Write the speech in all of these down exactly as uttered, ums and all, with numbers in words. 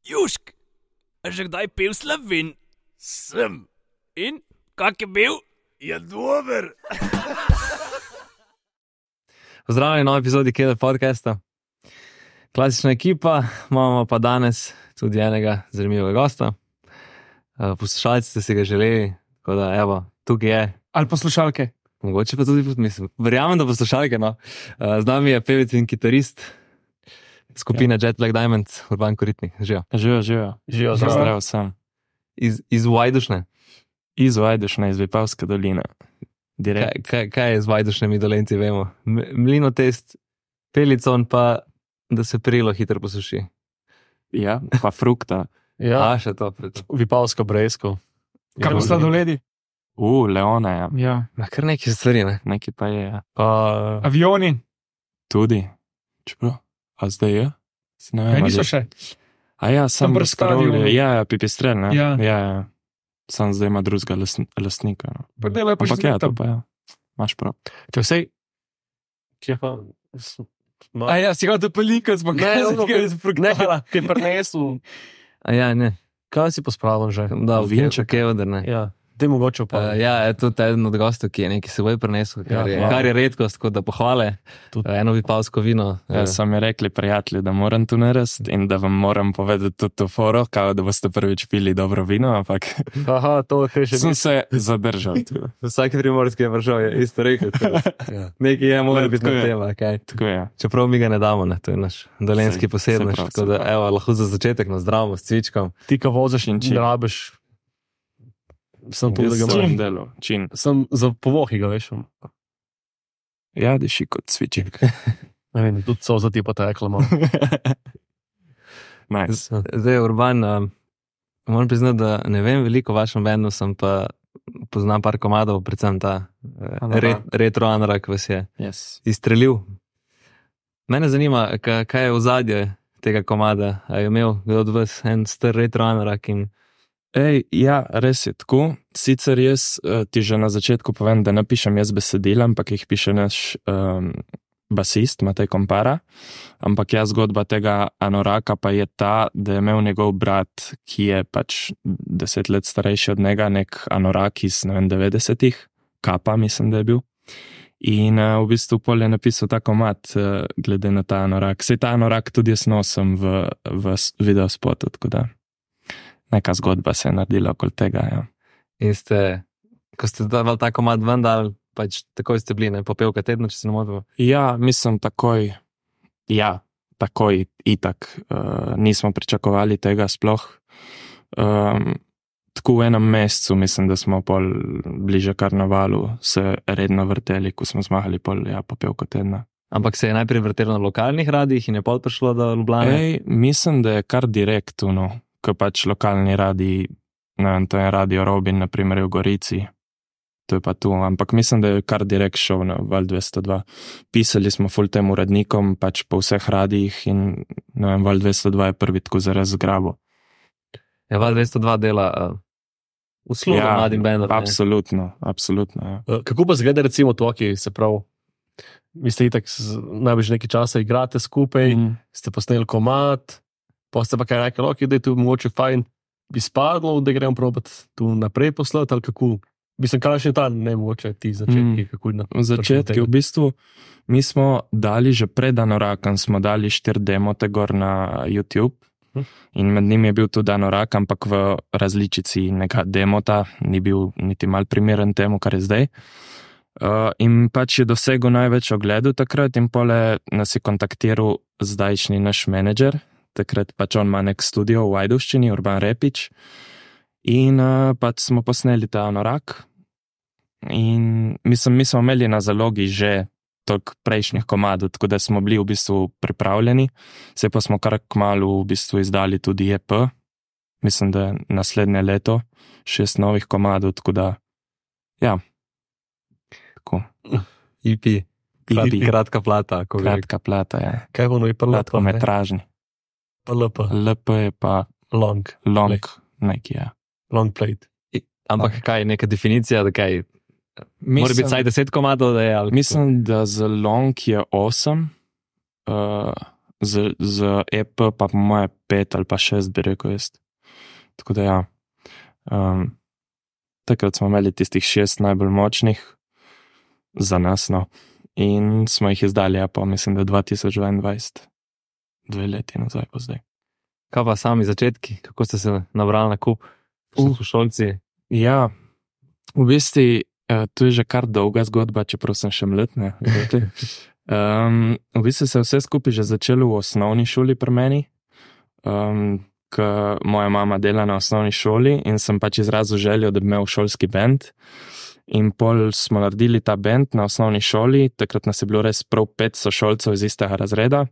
Južk, a že kdaj pil Slovin? Sem. In, kak je bil? Je dober. Pozdravljeni v novi epizodi Keder podcasta. Klasična ekipa, imamo pa danes tudi enega zanimivega gosta. Poslušalci ste si ga želeli, tako da evo, tukaj je. Ali poslušalke? Mogoče pa tudi, mislim, verjamem, da poslušalke, no. Z nami je pevec in kitarist skupine Jet Black Diamond, Urban Koritnik. Živijo. Živijo, živijo. Živijo, zdrav sem. Iz, iz Vajdušne? Iz Vajdušne, iz Vipavske doline. Kaj, kaj, kaj je z Vajdušnemi Dolenci, vemo? Mlinotest, pelicon pa, da se perilo hitro posuši. Ja, pa frukta. Ja. A, še to. Preto. Vipavsko brejsko. Kar bo sladoledi? U, leone, ja. Ja. Na kar neki stvari, ne? Neki pa je, ja. Pa... Avioni? Tudi. Čeprav? A zdaj je? Ne vem, ja, niso še. A ja, sam brskavlja. Ja, ja, pipistrel, ne? Ja. Ja, ja. Sam zdaj ima drugega lastnika. No. Pa delo je pa Ampak že ja, to tam. pa ja. Maš prav. Če vsej... Kje pa... Ma... A ja, si ga to pelikal, zbog Ne, ono, kaj je Nekaj, ki je prinesel. A ja, ne. Kaj si pospravil že? Da, vinček je odr, ne. Ja, te mogoče pa. Uh, ja, je tudi eden od gostov, ki je nekaj seboj prinesel, kar, Ja, je, hvala. kar je redkost, tako da pohvale. Tudi. Uh, eno vipavsko vino. Ja, so mi rekli prijatelji, da moram tu narediti in da vam moram povedati tudi to foro, kao da boste prvič pili dobro vino, ampak Aha, to je še sem se zadržal. Vsaki primorski je vršal, je isto rekel. Ja. Nekaj je, mora biti Tako na je. tema, kaj. Tako je. Čeprav mi ga ne damo, ne, to je naš dolenski Sej, posebnost. sej prav, Tako sej da, prav. evo, lahko za začetek nazdravimo s cvičkom. Ti, ko voziš in čin. ne rabiš. Sem povedal, da ga Čin imam. delo, čin. Sem za povohi ga, veš. Ja, diši kot cviček. Ne vem, tudi so za ti pa tekla malo. Nice. Zdaj, Urban, um, moram priznati, da ne vem veliko o vašem bendu, sem pa poznam par komadov, predvsem ta eh, Anorak. re, retro anorak vas je Yes. izstrelil. Mene zanima, ka, kaj je ozadje tega komada. A je imel kdo od vas en star retro anorak in Ej, ja, res je tako. Sicer jaz uh, ti že na začetku povem, da ne pišem jaz besedila, ampak jih piše naš um, basist, Matej Kompara. Ampak ja, zgodba tega anoraka pa je ta, da je imel njegov brat, ki je pač deset let starejši od njega, nek anorak iz, ne vem, devetdesetih, Kapa, mislim, da je bil. In uh, v bistvu pol je napisal ta komad, uh, glede na ta anorak. Sej ta anorak tudi jaz nosim v, v s- videospotu, tako da neka zgodba se je naredila okoli tega, ja. in ste, ko ste dali ta komad ven, dali, pač takoj ste bili, ne, popevka tedna, če se ne motim. Ja, mislim takoj, ja, takoj itak. Uh, nismo pričakovali tega sploh. Um, tako v enem mesecu, mislim, da smo pol bliže karnevalu se redno vrteli, ko smo zmagali pol, ja, popevko tedna. Ampak se je najprej vrtelo na lokalnih radijih in je pol prišlo do Ljubljane. Ej, mislim, da je kar direktno, ko pač lokalni radiji, ne vem, to je Radio Robin, na primer v Gorici, to je pa tu, ampak mislim, da je kar direkt šel na Val dvesto dva. Pisali smo ful tem urednikom, pač po vseh radijih in ne vem, Val dvesto dva je prvi tako zaraz zgrabo. Je Val dvesto dva dela uh, uslugo ja, mladim bendom. ne. absolutno, absolutno, ja. Eh, Kako pa zgleda recimo to, ki se prav, vi ste itak z- najbolj nekaj časa igrate skupaj, Mm. ste posneli komad, pa ste pa kaj rekli, ok, da je tu mogoče fajn, bi spadlo, da gremo probati tu naprej poslati, ali kako? Mislim, kaj še ta, ne mogoče ti začetki, Mm. kako je na V začetku, v bistvu, mi smo dali že pred Anorakom, smo dali štiri demote gor na YouTube Hm. in med njimi je bil tudi Anorak, ampak v različici neka demota, ni bil niti mal primeren temu, kar je zdaj. Uh, in pač je dosegel največ ogledov takrat in pole nas je kontaktiral zdajšnji naš menedžer, takrat pač on ima nek studio v Vajduščini, Urban Repič, in uh, pač smo posneli ta Anorak. In mislim, mi smo imeli na zalogi že toliko prejšnjih komadov, tako da smo bili v bistvu pripravljeni. Se pa smo kar kmalu v bistvu izdali tudi E P, mislim, da je naslednje leto, šest novih komadov, tako da, ja, tako, E P. E P. Kratka plata. Ko bi rekel. kratka plata, ja, Kaj ono je pa lepo, kratkometražni. pa lepo, L P je pa long, long, Play. neki, ja. long played. Ampak kaj, neka definicija, da kaj, mora biti vsaj deset komadov, da je ali... Mislim, da za long je osem, uh, z, z E P pa po moje pet ali pa šest, bi rekel jaz. Tako da ja. Um, takrat smo imeli tistih šest najbolj močnih za nas, no. In smo jih izdali, ja, pa mislim, da dva tisoč dvaindvajset. Dve leti nazaj pa zdaj. Kaj pa sami začetki? Kako ste se nabrali na kup? Uh. Šolci? Ja, v bistvu uh, to je že kar dolga zgodba, čeprav sem še mlad, ne. Um, v bistvu se vse skupaj že začelo v osnovni šoli pri meni, um, ker moja mama dela na osnovni šoli in sem pač izrazil željo, da bi imel šolski band. In pol smo naredili ta band na osnovni šoli, takrat nas je bilo res prav pet sošolcev iz istega razreda.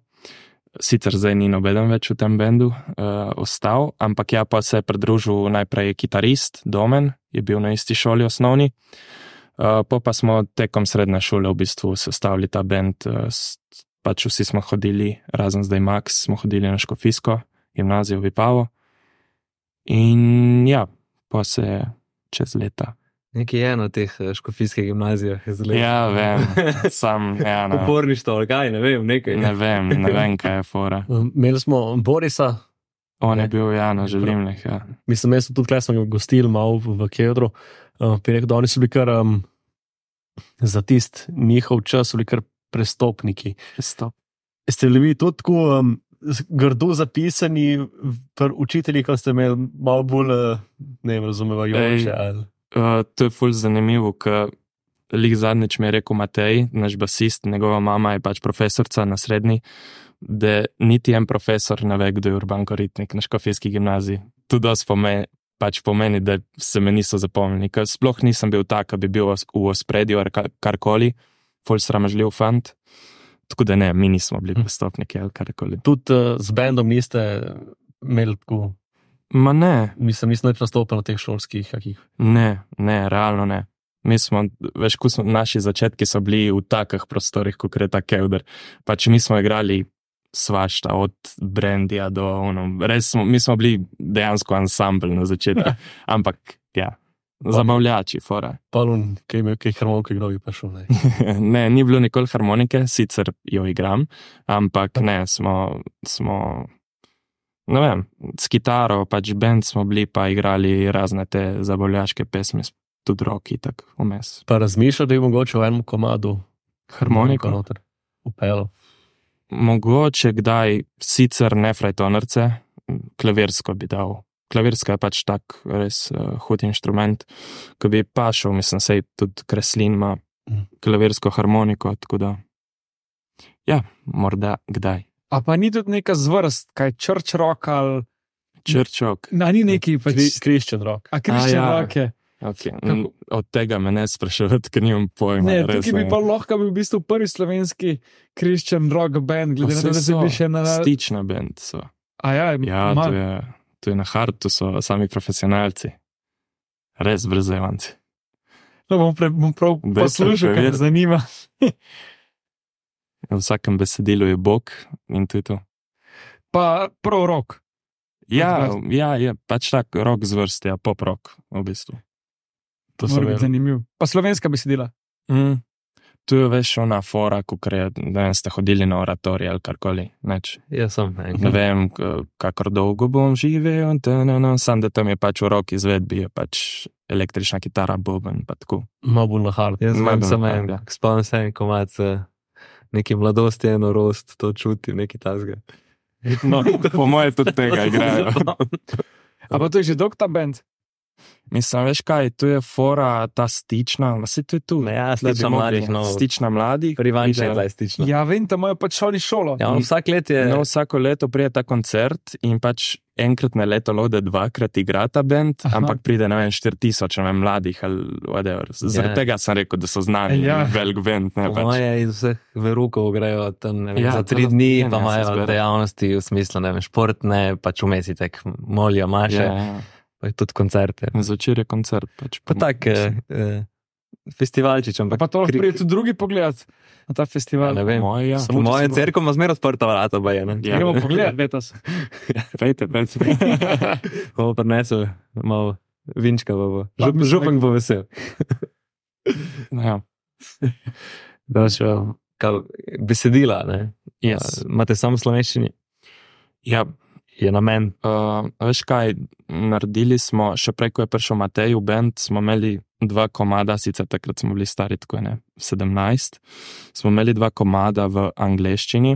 Sicer zdaj ni nobeden več v tem bendu uh, ostal, ampak ja, pa se je pridružil najprej kitarist, Domen, je bil na isti šoli osnovni. Uh, po pa smo tekom srednje šole v bistvu sestavili ta band, uh, pač vsi smo hodili, razen zdaj Max, smo hodili na Škofijsko gimnazijo v Vipavo. In ja, pa se je čez leta. Nekaj je eno teh škofijskih gimnazijah. Ja, vem, sam, ja, no. Uporništvo, ali kaj, ne vem, nekaj. Ne vem, ne vem, kaj je fora. Imeli smo Borisa. On je bil, ja, na Želimnih, ja. Mislim, jaz sem tudi kaj smo ga gostili malo v Kedru. Uh, rekel, da oni so bili kar um, za tist njihov čas, so bili kar prestopniki. Prestop. Ste bili tudi tako um, grdo zapisani pri učitelji, ko ste imeli malo bolj, ne vem, razumevajoče ali... Uh, to je ful zanimivo, ker lik zadnjič mi je rekel Matej, naš basist, njegova mama je pač profesorca na srednji, da niti en profesor ne ve, kdo je Urban Koritnik na Škofijski gimnaziji. To dosti pomeni, pač pomeni, da se me niso zapomnili, ker sploh nisem bil tak, da bi bil v ospredju ali karkoli, ful sramežljiv fant, tako da ne, mi nismo bili prestopniki ali karkoli. Tudi uh, z bandom niste imeli tako... Ma ne. Mislim, nisem več nastopil na teh šolskih kakih. Ne, ne, realno ne. Mi smo, veš, ko smo, naši začetki so bili v takih prostorih, kot je ta Kevder. Pač mi smo igrali svašta, od Brandija do ono, res smo, mi smo bili dejansko ansambl na začetku, ampak ja, zabavljači, fora. Palun, kaj imel, kaj harmonike igral, pa šel, ne. Ne, ni bilo nikoli harmonike, sicer jo igram, ampak ne, smo, smo... Ne vem, s kitaro, pač band smo bili, pa igrali razne te zabavljaške pesmi, tudi roki, tako vmes. Pa razmišljal, da je mogoče v enem komadu harmoniko noter upelo? Mogoče kdaj, sicer ne frajtonarce, klavirsko bi dal. Klavirska je pač tak res uh, hud inštrument, ko bi pašel, mislim, sej tudi Kreslin ima klavirsko harmoniko, tako da, ja, morda kdaj. A pa ni tudi neka zvrst, kaj church rock ali... Church rock. Na, ni neki pač... Christian rock. A Christian A, ja. rock je. Okay. Od tega me ne spraševati, ker nimam pojma. Ne, res, tukaj bi pa lahko bil v bistvu prvi slovenski Christian rock band, glede na to, da se bi še na... Stična band so. A ja, ja to, je, to je na hartu, so sami profesionalci. Res brzevanci. No, bom, pre, bom prav poslušal, kar me zanima. V vsakem besedilu je Bog in to je to. Pa prav rock. Ja, ja, je pač tak rock zvrst, ja, pop rock v bistvu. To mora biti zanimiv. Pa slovenska besedila. Mm. Tu je veš ona fora, kakor da ste hodili na oratorij ali karkoli, neč. Jaz sem. Ne vem, kakor dolgo bom živel, sam da tam je pač v rock izvedbi, je pač električna kitara, boben, pa tako. Malo bolj na hard. Jaz vem samo en, spomnim se en komad, neki mladosti, eno rost, to čutim, neki tasga. No, po moje tudi tega igrajo. A pa to je že dolg ta band? Mislim, veš kaj, tu je fora ta stična, vse to je tu. Ja, stična mladih, no. Stična mladih. Privanča je bila stična. Ja, vem, tam imajo pač šoli šolo. Ja, on vsak let je... No, vsako leto prije ta koncert in pač enkrat na leto lode dvakrat igra ta band, Aha. ampak pride, ne vem, štiri tisoč, ne vem, mladih ali whatever. Zaradi yeah. tega sem rekel, da so znani, yeah. velik band. Ne, pač. Moje iz vseh verukov grejo tam, ne vem, ja, za tri dni, pa imajo dejavnosti v smislu, ne vem, športne, pač umesitek, molijo, maše. Yeah, yeah. Pa je tudi koncerte. Zvečer je koncert. Pač pa tak, eh, eh, festivalčič, ampak... Pa to lahko prije tudi drugi pogled na ta festival. Ja, ne vem. Moja, ja. Moje cerko ima zmer odprta vrata, ba je, ne? Ja. Gremo pogled, letos. Pejte, pejte. Bomo prinesel malo vinčka, bo. Žup, župnik bo vesel. Ja. Da še, kao, besedila, ne? Yes. Uh, imate samo v slovenščini? Ja, Je namen. uh, veš kaj, naredili smo, še prej, ko je prišel Matej v band, smo imeli dva komada, sicer takrat smo bili stari tako ne, sedemnajst, smo imeli dva komada v angleščini,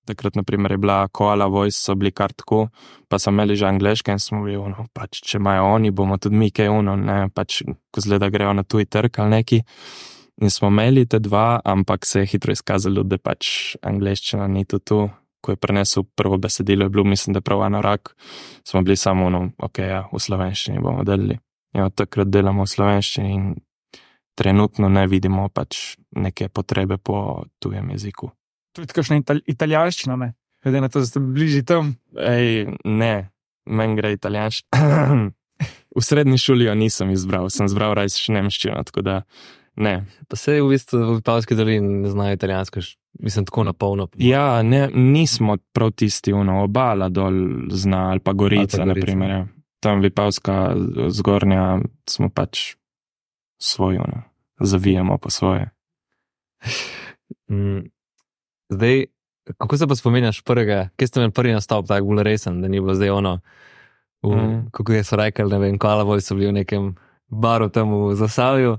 takrat naprimer je bila Koala Voice, so bili kar tako, pa so imeli že angleške in smo bili, ono, pač, če imajo oni, bomo tudi mi kaj uno, ne, pač, ko zgleda grejo na tuj trg ali neki. In smo imeli te dva, ampak se je hitro izkazalo, da pač angleščina ni to tu. Ko je prenesel prvo besedilo, je bilo, mislim, da prav anorak, smo bili samo ono, ok, ja, v slovenščini bomo delali. Ja, takrat delamo v slovenščini in trenutno ne vidimo pač neke potrebe po tujem jeziku. Tudi kakšna ital italijanščina, ne? Glede na to, da ste bližji tam. Ej, ne, meni gre italijanščina. V srednji šoli jo nisem izbral, sem izbral rajš nemščino, tako da ne. Pa se v bistvu v Vipavski dolini ne znajo italijansko, mislim, tako na polno. Ja, ne, nismo prav tisti, ono, obala dol zna, ali pa Gorica, Ali pa Gorica. naprimer. Ja. Tam Vipavska zgornja smo pač svoj, ono, zavijamo po svoje. Mm. Zdaj, kako se pa spominjaš prvega, kje ste imeli prvi nastop, tako bolj resen, da ni bilo zdaj ono, v, Mm. kako je so rekli, ne vem, Koala Voice so bili v nekem baru tam v Zasavju,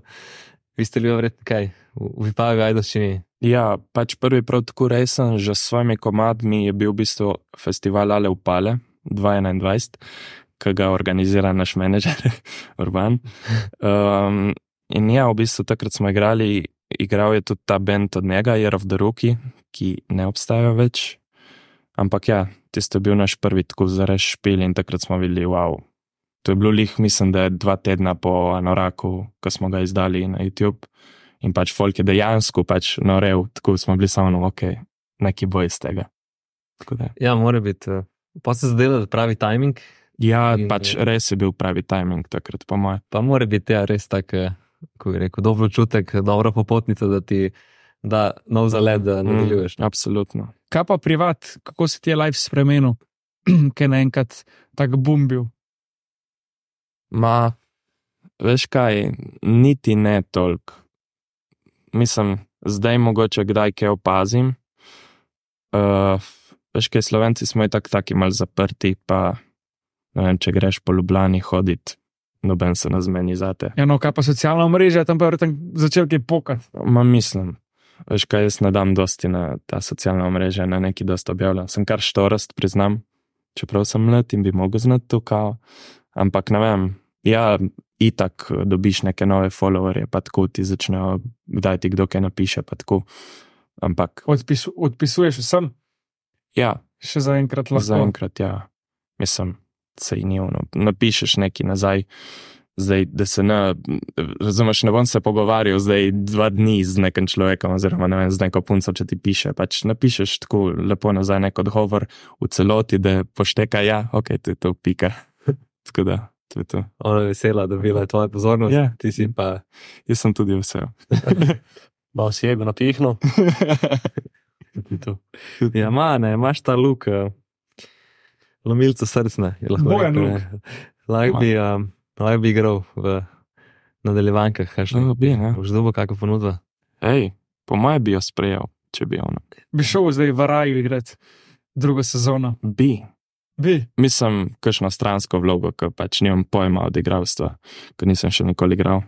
vi ste bili verjetno kaj, v, v Vipavi, Ajdovščini. Ja, pač prvi prav tako resen, že s svojimi komadmi je bil v bistvu festival Ale Upale dva tisoč enaindvajset, ki ga organizira naš menedžer Urban. Um, in ja, v bistvu takrat smo igrali, igral je tudi ta band od njega, Year of the Rookie, ki ne obstaja več. Ampak ja, tisto je bil naš prvi tako zares špil in takrat smo videli, wow. To je bilo lih, mislim, da je dva tedna po Anoraku, ko smo ga izdali na YouTube. In pač folk je dejansko pač norel, tako smo bili samo, ok, neki bo iz tega. Tako da. Ja, mora biti, uh, pa se zdelo, da pravi timing, Ja, In- pač res je bil pravi timing takrat, po moje. pa mora biti ja, res tak, uh, kako bi rekel, dobro čutek, dobra popotnica, da ti da nov zalet, da nadaljuješ. Mm, absolutno. Kaj pa privat, kako se ti je life spremenil, kaj je naenkrat tak boom bil? Ma, veš kaj, niti ne toliko. Mislim, zdaj mogoče kdaj kaj opazim. Uh, veš kaj, Slovenci smo i tak taki mal zaprti, pa ne vem, če greš po Ljubljani hoditi, noben se ne zmeni zate. Ja, no, kaj pa socialna mreža, tam pa je verjetno začel kaj pokat. Ma mislim, veš kaj, jaz ne dam dosti na ta socialna mreža, na neki dosti objavljam. Sem kar štorast, priznam, čeprav sem mlad in bi mogel znati to kao, ampak ne vem, ja, itak dobiš neke nove followerje, pa tako ti začnejo, kdaj ti kdo kaj napiše, pa tako, ampak Odpisu, odpisuješ vsem, ja, še zaenkrat lahko. zaenkrat ja, mislim, sej ni ono, napišeš neki nazaj, zdaj, da se ne, razumeš, ne bom se pogovarjal zdaj dva dni z nekim človekom, oziroma ne vem, z neko punco, če ti piše, pač napišeš tako lepo nazaj nek odgovor v celoti, da pošteka, ja, ok, to je to, pika. Tako da, to je to. Ona je vesela, da bila je tvoja pozornost, Ja. ti si pa Jaz sem tudi vesel. Malo si ego napihno. ja, ma, ne, imaš ta luk, uh, lomilca srcne, je lahko Bojan rekel, luk. ne. Lahko bi, um, lahko bi igral v nadaljevankah, kaj še. No, bi, ne? Boš dobil kakšno ponudbo? Ej, po moje bi jo sprejel, če bi ono. Bi šel zdaj v Raju igrati drugo sezono. Bi. Bi. Mislim, kakšno stransko vlogo, ker pač nimam pojma od igralstva, ker nisem še nikoli igral.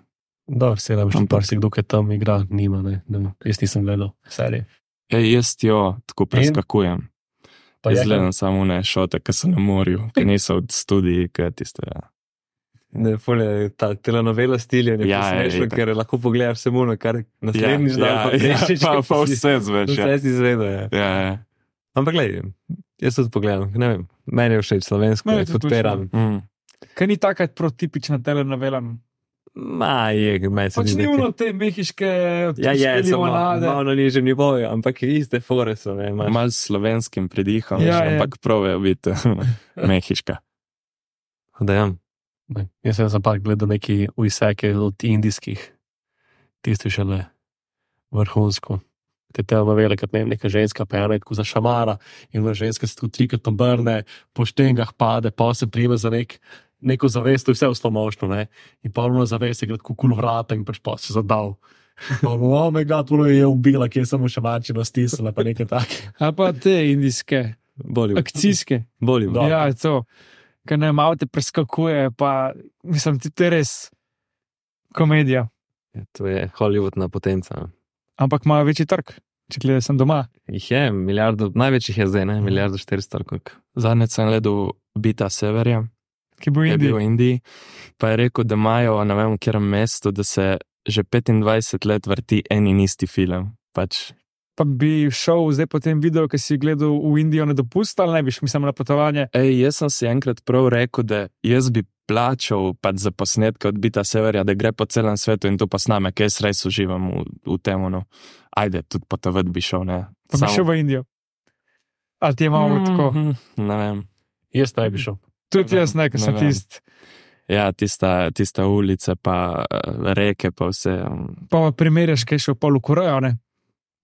Dobro, se da bi še Ampak- par si kdo, ki tam igra, nima, ne, ne, jaz nisem gledal serije. Ej, jaz jo tako preskakujem. Pa je, Izgledam samo ne šote, ki so na morju, ki niso od studij, ki tiste. Ja. Ne, ful je ta telenovela stilja, ne Ja, ja, je, smešno, itak. ker lahko pogledaš samo na kar naslednjič ja, dan, pa ja, prešiš, pa, ker pa si- vse zveš. Ja. Vse si izvedel, ja. Ja, ja. Ampak glej, jaz tudi pogledam, ne vem, meni je všeč slovensko, Meni ne je tudi podpiram. Mm. Kaj ni taka protipična telenovela? Ma, je, meni se Pač zdi ni nekaj- ono te mehiške Ja, je, samo limonade. malo na nižjem nivoju, ampak iste fore so, ne, imaš. Mal s slovenskim pridihom, Ja, ja, ja. ampak pravijo biti mehiška. Da, ja. ne, jaz sem za par gledal neki ujseke od indijskih, tisti šele vrhunsko. Te telenovele, kot ne vem, neka ženska pejana, tako za šamara in ona ženska se tu trikrat obrne, po štengah pade, pa se prime za nek, neko zavest, to je vse v slomošno, ne. In pa ona zavest je gre tako kul vrata in pač pa se zadal. Oh, moj bog, puno je ubila, ki je samo še mačino stisnila, pa nekaj takega. Ali pa te indijske, Bollywood. akcijske. Bollywood. Ja, to, kar ne avte preskakuje, pa mislim, ti to je res komedija. Ja, to je Hollywoodna potenca. Ampak imajo večji trg, če gledaj sem doma. Jih je, milijardo, največjih je zdaj, ne? Milijardo štiristo. ali koliko. Zadnjič sem gledal Bita Severja, Ki bo ki je bil v Indija. Indiji, pa je rekel, da imajo na vem, kjerem mestu, da se že petindvajset let vrti en in isti film. Pač, Pa bi šel zdaj po tem videu, ki si gledal v Indijo na dopust, ali ne biš, mislim, na potovanje. ej, jaz sem si enkrat prav rekel, da jaz bi plačal pač za posnetke od Bita Severja, da gre po celem svetu in to posname, ker jaz res uživam v, v tem. No. Ajde, tudi potovati bi šel, ne. Pa bi šel v Indijo. Ali ti je malo tako? Mhm, ne vem. Jaz ne bi šel. Tudi jaz ne, ker Ne sem vem. tist. Ja, tista, tista ulica, pa eh, reke, pa vse. um, Pa primerjaš, kaj je šel pol v Korejo, ne?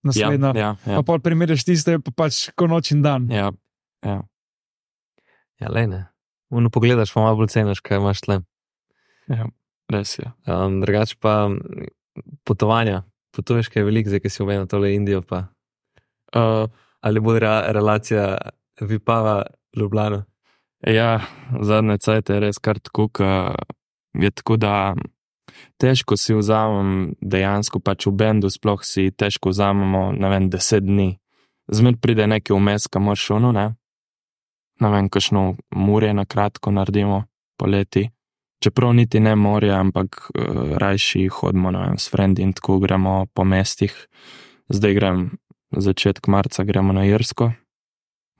Ja, Naslednjo. ja, ja, Pa pol primerjaš tiste, pa pač ko noč in dan. ja. Ja, lej ne. Uno pogledaš, pa malo bolj ceniš, kaj imaš tle. Ja, res je. Um, drugač pa m, potovanja. Potuješ kaj veliko, zdaj, ki si omenil tole Indijo, pa Uh, ali bo re, relacija Vipava Ljubljana? ja, zadnje cajt je res kar tako, ka je tako, da težko si vzamem dejansko, pač v bendu sploh si težko vzamemo, ne vem, deset dni. Zmer pride neki vmes, ka moraš ono, ne? Ne vem, kakšno morje na kratko naredimo poleti. Čeprav niti ne morje, ampak uh, rajši hodimo, ne vem, s frendi in tako gremo po mestih. Zdaj grem, začetek marca gremo na Irsko,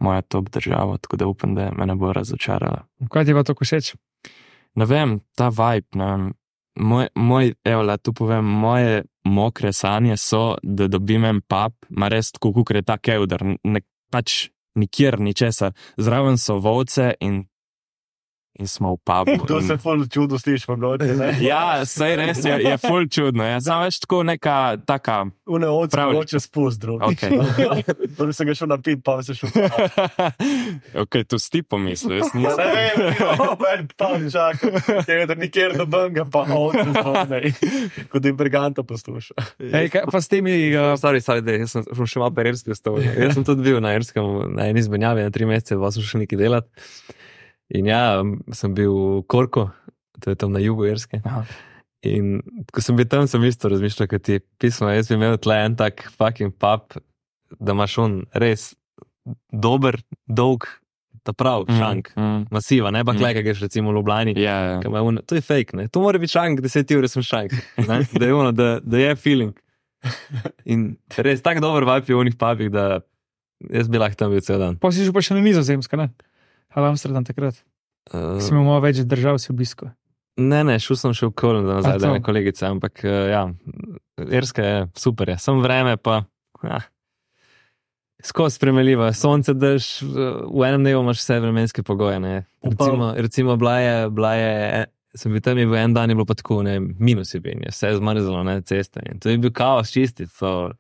moja top država, tako da upam, da me ne bo razočarala. Kaj ti pa to všeč? Ne vem, ta vibe, ne vem, moj, moj evo, la tu povem, moje mokre sanje so, da dobim en pub, ma res tako, kukor je ta kevdar, ne, pač nikjer, ničesar, zraven so volce in, in smo v pubu. To se ful čudo sliši v noči, ne? Ja, saj res je, je ful čudno, ja, samo več tako neka taka, Une ovce Pravljič. mogoče spust, drug. okej. Prvi sem ga šel napit, pa se šel. Ok, to si ti pomislil, jaz Ja, nisem. ne vem, en pa čakam, tega, da nikjer do benga, pa ovce zvone. Kot da jim briganta posluša. Ej, kaj, pa s temi, uh, Sorry, sorry, da, jaz sem sem še malo po Irski ostal. Jaz sem tudi bil na Irskem, na eni izmenjavi, na tri mesece, pa sem šel nekaj delati. In ja, sem bil v Korku, to je tam na jugu Irske. Aha. In ko sem bil tam, sem isto razmišljal, kot ti pismo, jaz bi imel tle en tak fucking pub, da imaš on res dober, dolg, ta prav, šank, Mm, masiva, ne pa Mm. klej, kaj greš recimo v Ljubljani. ja, ja. Ka ima ono- To je fake, ne? To mora biti šank, deset ur sem šank, ne? Da je ono, da, da je feeling. In res tak dober vibe je v onih pubih, da jaz bi lahko tam bil cel dan. pa si že pa še na Nizozemska, ne? Ali Amsterdam takrat. Uh, Si imel malo več držav, si obisko. ne, ne, šel sem še v Köln, da nazaj, A, da to. ne kolegice, ampak uh, ja, Irska je super, je. Sem vreme pa, ja, skozi spremeljivo, sonce drž, v enem dnevu imaš vse vremenske pogoje, ne. Recimo, recimo bila je, bila je, sem bil tam, je bil en dan, je bilo pa tako, ne, minus je bil, je vse zmrzlo, ne, ceste. In to je bil kaos čistiti, so,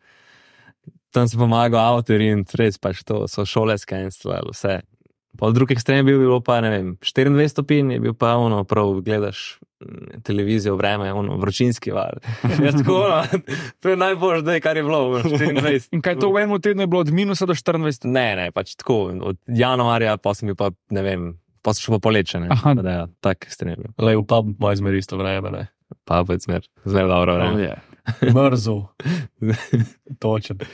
tam sem pomagal avtorji in res pač to, so šole skenslali, vse. Pa v drug ekstrem je bil, bilo pa, ne vem, štiriindvajset stopinj, je bil pa ono, prav gledaš mm, televizijo, vreme, ono, vročinski val. Ja, tako, no, to je najbolj zdaj, kar je bilo, ono, štiriindvajset. In kaj to v enem tednu je bilo od minusa do štiriindvajset? Ne, ne, pač tako, od januarja pa sem bil pa, ne vem, pa sem šel pa poleče, ne. Aha. Pa da, ja, tak ekstrem je bil. Le v pub ima izmer isto vreme, ne? Pa pa je zmer, zmer dobro Oh, vreme. yeah. Mrzo. Točen.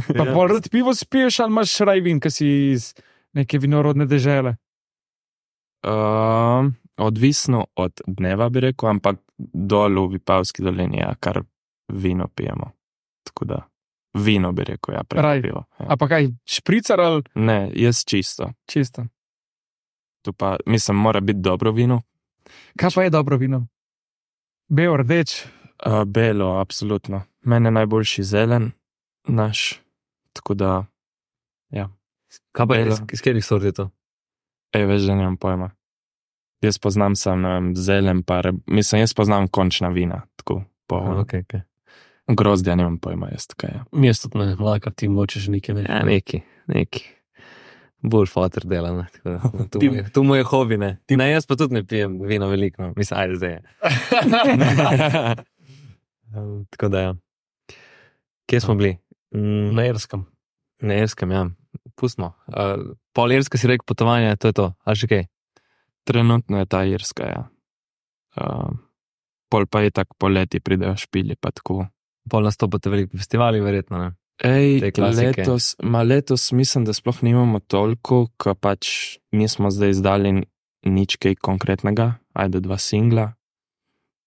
Pa Ja. pol rad pivo spiješ, ali imaš raj vin, ki si iz neke vinorodne dežele? Um, odvisno od dneva, bi rekel, ampak dol v Vipavski dolini, ja, kar vino pijemo. Tako da, vino bi rekel, ja, prej Raj. pivo. Ja. A pa kaj, špricar ali Ne, jaz čisto. čisto? Tu pa, mislim, mora biti dobro vino. Kaj pa je dobro vino? Bel, rdeč, Uh, belo, absolutno. Mene najboljši zelen, naš. Tako da, Kaj pa je, Belo. iz, iz katerih sort je to? ej, veš, da nimam pojma. Jaz poznam sam, ne vem, zelen, pa, re, mislim, jaz poznam končna vina, tako, po, Aha, okay, okay. grozdja nimam pojma, jaz tako je. Mesto ne, laka ti močeš nekaj ne. Ja, neki, neki. Bolj fotor dela, ne. Tako da, to, Ti- mu je, to mu je hobi, ne. Ne, jaz pa tudi ne pijem vino veliko, no. Mislim, ajde zdaj je. Um, tako da ja. Kje smo bili? Mm, Na Irskem. na Irskem, ja. Pustimo. Uh, pol Irska si rekel potovanje, to je to. A še kaj? Trenutno je ta Irska, ja. Uh, pol pa je tak poleti pridejo špili, pa tako. Pol nastopate veliki festivali, verjetno, ne? Ej, Te klasike. letos, ma letos mislim, da sploh nimamo toliko, ko pač mi smo zdaj izdali nič kaj konkretnega, ajde dva singla.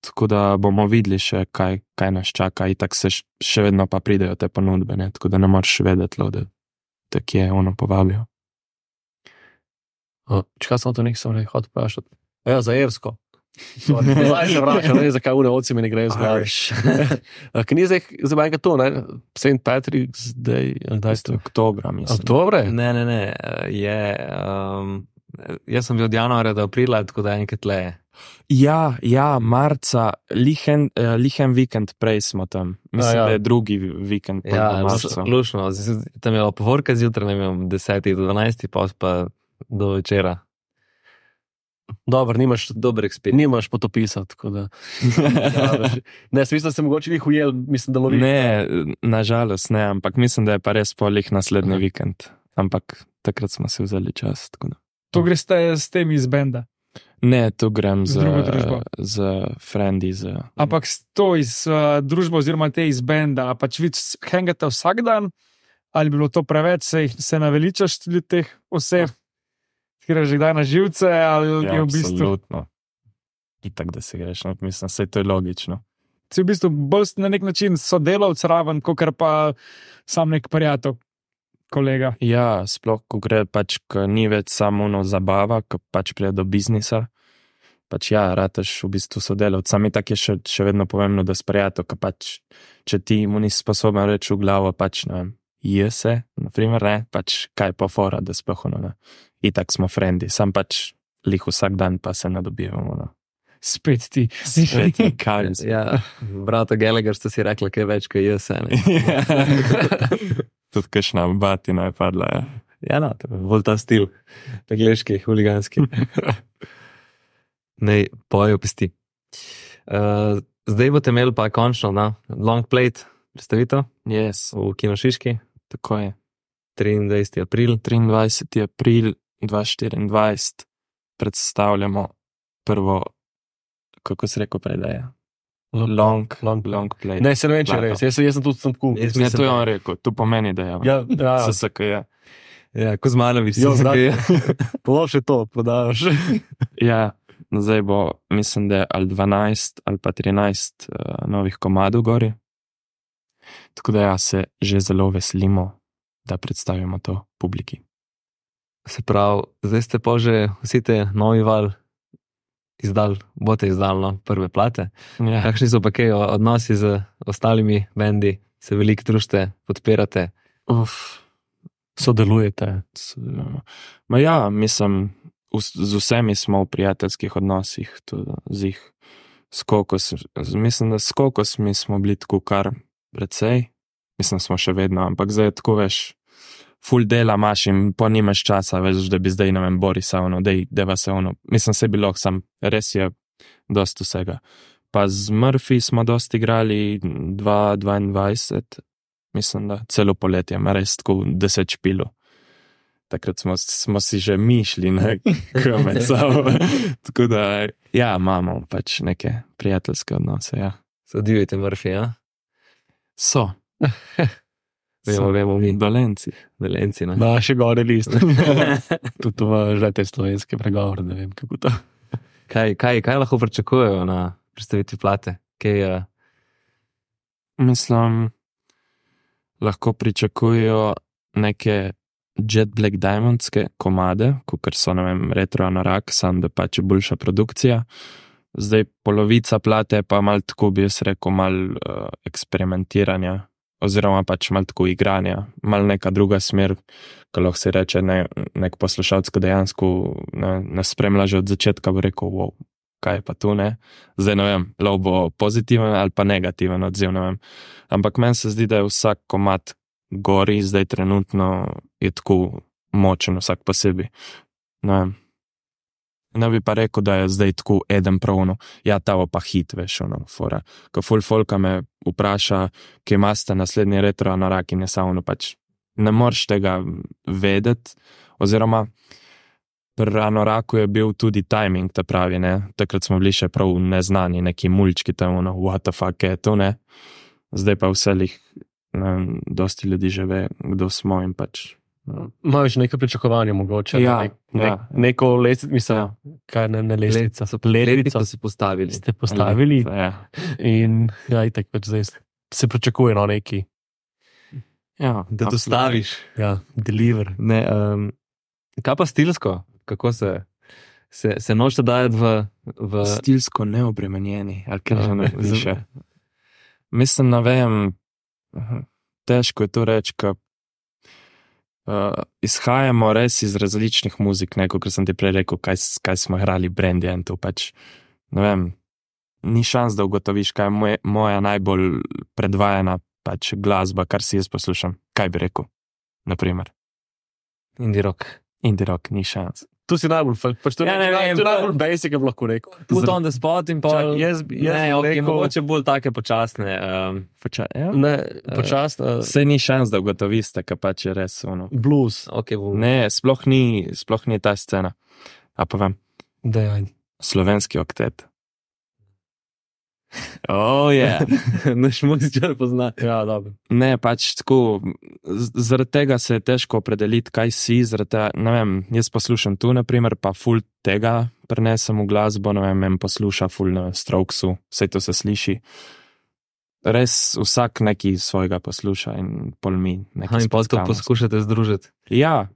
Tako da bomo videli še, kaj, kaj nas čaka, itak se š- še vedno pa pridejo te ponudbe, ne? Tako da ne moreš vedeti, lo, da te kje ono povabijo. Čekaj, sem to nekaj sem rekel, hotel vprašati. Ja, za Irsko. Sorry, Zdaj se vračam, ne vem, zakaj une oci mi ne grejo zgledati. Ker ni zdaj, zdaj manjka to, ne? Saint Patrick's Day, kdaj ste? Oktobra, mislim. Oktobre? Ne, ne, ne. uh, Je, um, jaz sem bil od januarja do aprila, tako da enkrat le. Ja, ja, marca, lihen, uh, lihen vikend prej smo tam. Mislim, A, ja. da je drugi vikend po Ja, marcu. lušno. Tam je bilo povorka zjutraj, ne vem, desetih do dvanajstih, pa pa do večera. Dobro, nimaš, Dober ekspert. nimaš potopisa, tako da. Ne, smisel, da se mogoče njih ujel, mislim, da lovi. Ne, nažalost ne, ampak mislim, da je pa res polih naslednji Aha. vikend. Ampak takrat smo si vzeli čas. Tako da. To greste s temi iz benda. Ne, tu grem Z z, drugo družbo. z frendi. Z, Ampak s to iz uh, družbe oziroma te iz benda, a pač vi hangate vsak dan, ali bi bilo to preveč, se, jih- se naveličaš tudi teh oseb, ki greš že kdaj na živce, ali ja, je v bistvu, absolutno. Itak, da se greš, no, mislim, vse to je logično. si v bistvu bolj na nek način sodelavc raven, kot pa sam nek prijatelj, kolega. Ja, sploh, ko gre pač, ko ni več samo ono zabava, ko pač pride do biznisa. Pač ja, rataš v bistvu sodelavc. Sami tak je še, še vedno pomembno, da sprijato, ko pač, če ti mu nisi sposoben reči v glavo, pač, ne vem, je se, naprimer, ne, pač kaj pa fora, da sploh ono, ne. Itak smo frendi, sam pač lih vsak dan pa se ne dobivamo, no. Spet ti. Svet je kaj. Ja, brata Gallagher ste si rekli, kaj več, kaj jaz. Ne? Tudi kakšna batina je padla, ja. Ja, no, to je bolj ta stil, angliški, huliganski. Nej, pojo pesti. Uh, zdaj boste imeli pa končno, na, long plate, predstavitev Yes, v Kinošiški, tako je. triindvajseti april. triindvajseti april dva tisoč štiriindvajset predstavljamo prvo, kako se reko prej, da je? Long, long, long play. Ne, se ne vem, če je Plato. res. Jaz, sem- jaz sem tudi sem tako. Jaz Ne, mislim, to je da- on rekel, to pomeni, da je. Ja, ja, S S K je. Ja, Kozmanovič, Jo, si brat. zakaj. Polo še to prodajaš. Ja, zdaj bo, mislim, da je ali dvanajst ali pa trinajst uh, novih komadov gori. Tako da ja, se že zelo veselimo, da predstavimo to publiki. Se pravi, zdaj ste pa že vsi te novi val izdal, boste izdal no, prve plate. Ja. Kakšni so pa kaj odnosi z ostalimi bendi, se veliko družite, podpirate? Uf, Sodelujete. sodelujemo. Ma ja, mislim, vs- z vsemi smo v prijateljskih odnosih, tudi z jih. S kokos, z- mislim, da s kokosmi smo bili tako kar precej, mislim, smo še vedno, ampak zdaj je tako, veš, ful dela imaš in po nimaš časa, veš, da bi zdaj, ne vem, Borisa, ono, dej, deva se ono, mislim, se bilo, sam, res je dost vsega. Pa z Murphy smo dosti igrali, dva tisoč dvaindvajset, mislim, da celo poletje, ima res tako deset špilov. Takrat smo, smo si že mišli, ne, med sabo. Tako da, ja, imamo pač neke prijateljske odnose, ja. Se divite Murphy, ja? So. Vemo, vemo mi, Dolenci. Velenci, ne? Naše gore list. Tudi v že te slovenske pregovore, ne vem, kako to. Kaj, kaj, kaj lahko pričakujejo na predstavitvi plate? Kaj je? Mislim, lahko pričakujejo neke Jet Black Diamondske komade, kot so, ne vem, retro anorak, sam da pač je boljša produkcija. Zdaj polovica plate je pa mal tako, bi jaz rekel, mal uh, eksperimentiranja, oziroma pač mal tako igranja, mal neka druga smer, ko lahko se reče, ne, nek poslušalec, ko dejansko ne, ne spremlja že od začetka, bo rekel, wow, kaj je pa tu, ne? Zdaj ne vem, lahko bo pozitiven ali pa negativen odziv, ne vem. Ampak meni se zdi, da je vsak komad gori, zdaj trenutno je tako močen vsak posebej. Ne vem. Ne bi pa rekel, da je zdaj tako eden pravno, ja, tavo pa hit, veš, ono, fora. Ko ful folka me vpraša, kje imate naslednji retro anorak in je samo, pač ne moreš tega vedeti, oziroma pri anoraku je bil tudi timing, ta pravi, ne, takrat smo bili še prav neznani, neki mulčki tam, ono, what the fuck je to, ne, zdaj pa vselih, ne, dosti ljudi že ve, kdo smo in pač. Imaš nekaj pričakovanja mogoče? Ja, nek, nek, ja. Neko lestvico, mislim, Ja. kaj ne, ne lestvica, so Letvico so postavili. ste postavili Ja. in ja, itak pač zdaj se pričakuje no neki, Ja, Da dostaviš. ja, deliver. Ne, um, kaj pa stilsko? Kako se, se, se nočete dajati v, v stilsko neobremenjeni, ali kaj že ne Z- piše. Mislim, ne vem, težko je to reči, ker uh, izhajamo res iz različnih muzik, ne, kot sem ti prej rekel, kaj, s- kaj smo igrali Brandy in to pač, ne vem, ni šans, da ugotoviš, kaj je moje, moja najbolj predvajana pač glasba, kar si jaz poslušam. Kaj bi rekel, naprimer. indie rock. Indie rock, ni šans. Tu si najbolj, fal- pač to Ja, je ne naj- vem, to je pa- najbolj basic, bi lahko rekel. Put on the spot in pa. Čak, jaz bi- jaz ne, bi okay, rekel- mogoče bolj take počasne. Um, Poča, ja? Ne, počasno, Sej ni šans, da ugotoviste, kaj pač je res ono. blues, okay, bo, Ne, sploh ni, sploh ni ta scena. A povem, da je. slovenski oktet. Oh, yeah. Naš muzičar pozna. Ja, dobro. Ne, pač tako, z- zaradi tega se je težko opredeliti, kaj si, zaradi tega, ne vem, jaz poslušam tu, naprimer, pa ful tega prenesem v glasbo, ne vem, en posluša ful na Strokesu, vse to se sliši. Res vsak neki svojega posluša in pol mi nekaj In pa to spockamo. poskušate združiti. Ja,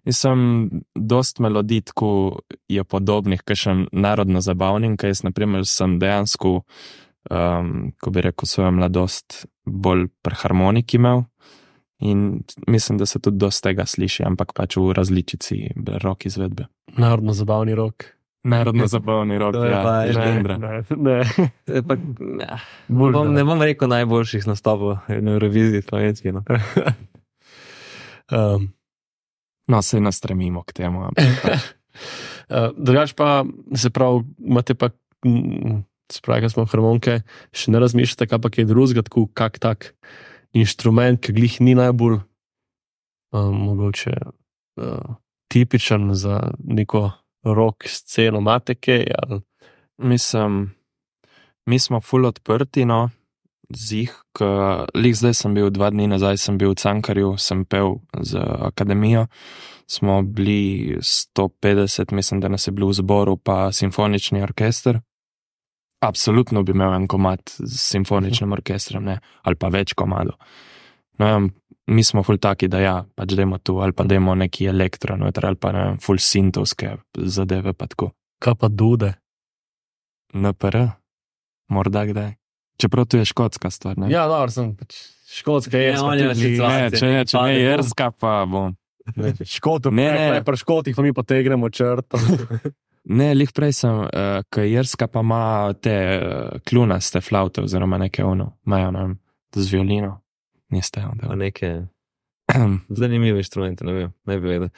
nisem dost melodij, tako je podobnih, kakšen narodno zabavnim, kaj jaz, naprimer, sem dejansko, um, ko bi rekel, svojo mladost bolj pri harmoniki imel in mislim, da se tudi dost tega sliši, ampak pač v različici rock izvedbe. Narodno zabavni rok. Narodno zabavni rock, To je ja, pa- žendra. Ne, ne. E, pa, ja, Bolj bom, ne. ne bom rekel najboljših nastopov na Euroviziji slovenski. No. Um, No, se ne stremimo k temu, ampak pač, uh, drugač pa, se pravi, imate pa, mm, se pravi, ko smo harmonike, še ne razmišljate, kaj pa je drugega, tako kak tak inštrument, ki glih ni najbolj um, mogoče uh, tipičen za neko rock sceno, imate kaj, ali mislim, mi smo ful odprti, no, zih, ker lih zdaj sem bil, dva dni nazaj sem bil v Cankarju, sem pel z akademijo, smo bili sto petdeset, mislim, da nas je bilo v zboru, pa simfonični orkester. Absolutno bi imel en komad s simfoničnim orkestrom, ne, ali pa več komadov. No, vem, mi smo ful taki, da ja, pač dajmo tu, ali pa dajmo neki elektro, noter, ali pa ne vem, ful sintovske zadeve, pa tako. kaj pa dude. N P R, morda kdaj. Čeprav to je škotska stvar, ne? Ja, dobro, sem pač škotska, Ne, je on je tudi, situacija. Ne, če ne, če ne, Pade bom. jerska pa bom. škotov, Ne, ne, ne. ne, pri škotih pa mi potegnemo črto. Ne, lih prej sem, uh, ker jerska pa ima te uh, klunaste flaute, oziroma neke ono, imajo, ne vem, z violino. Niste, Pa onda. neke zanimive inštrumente, ne vem, ne bi vedel.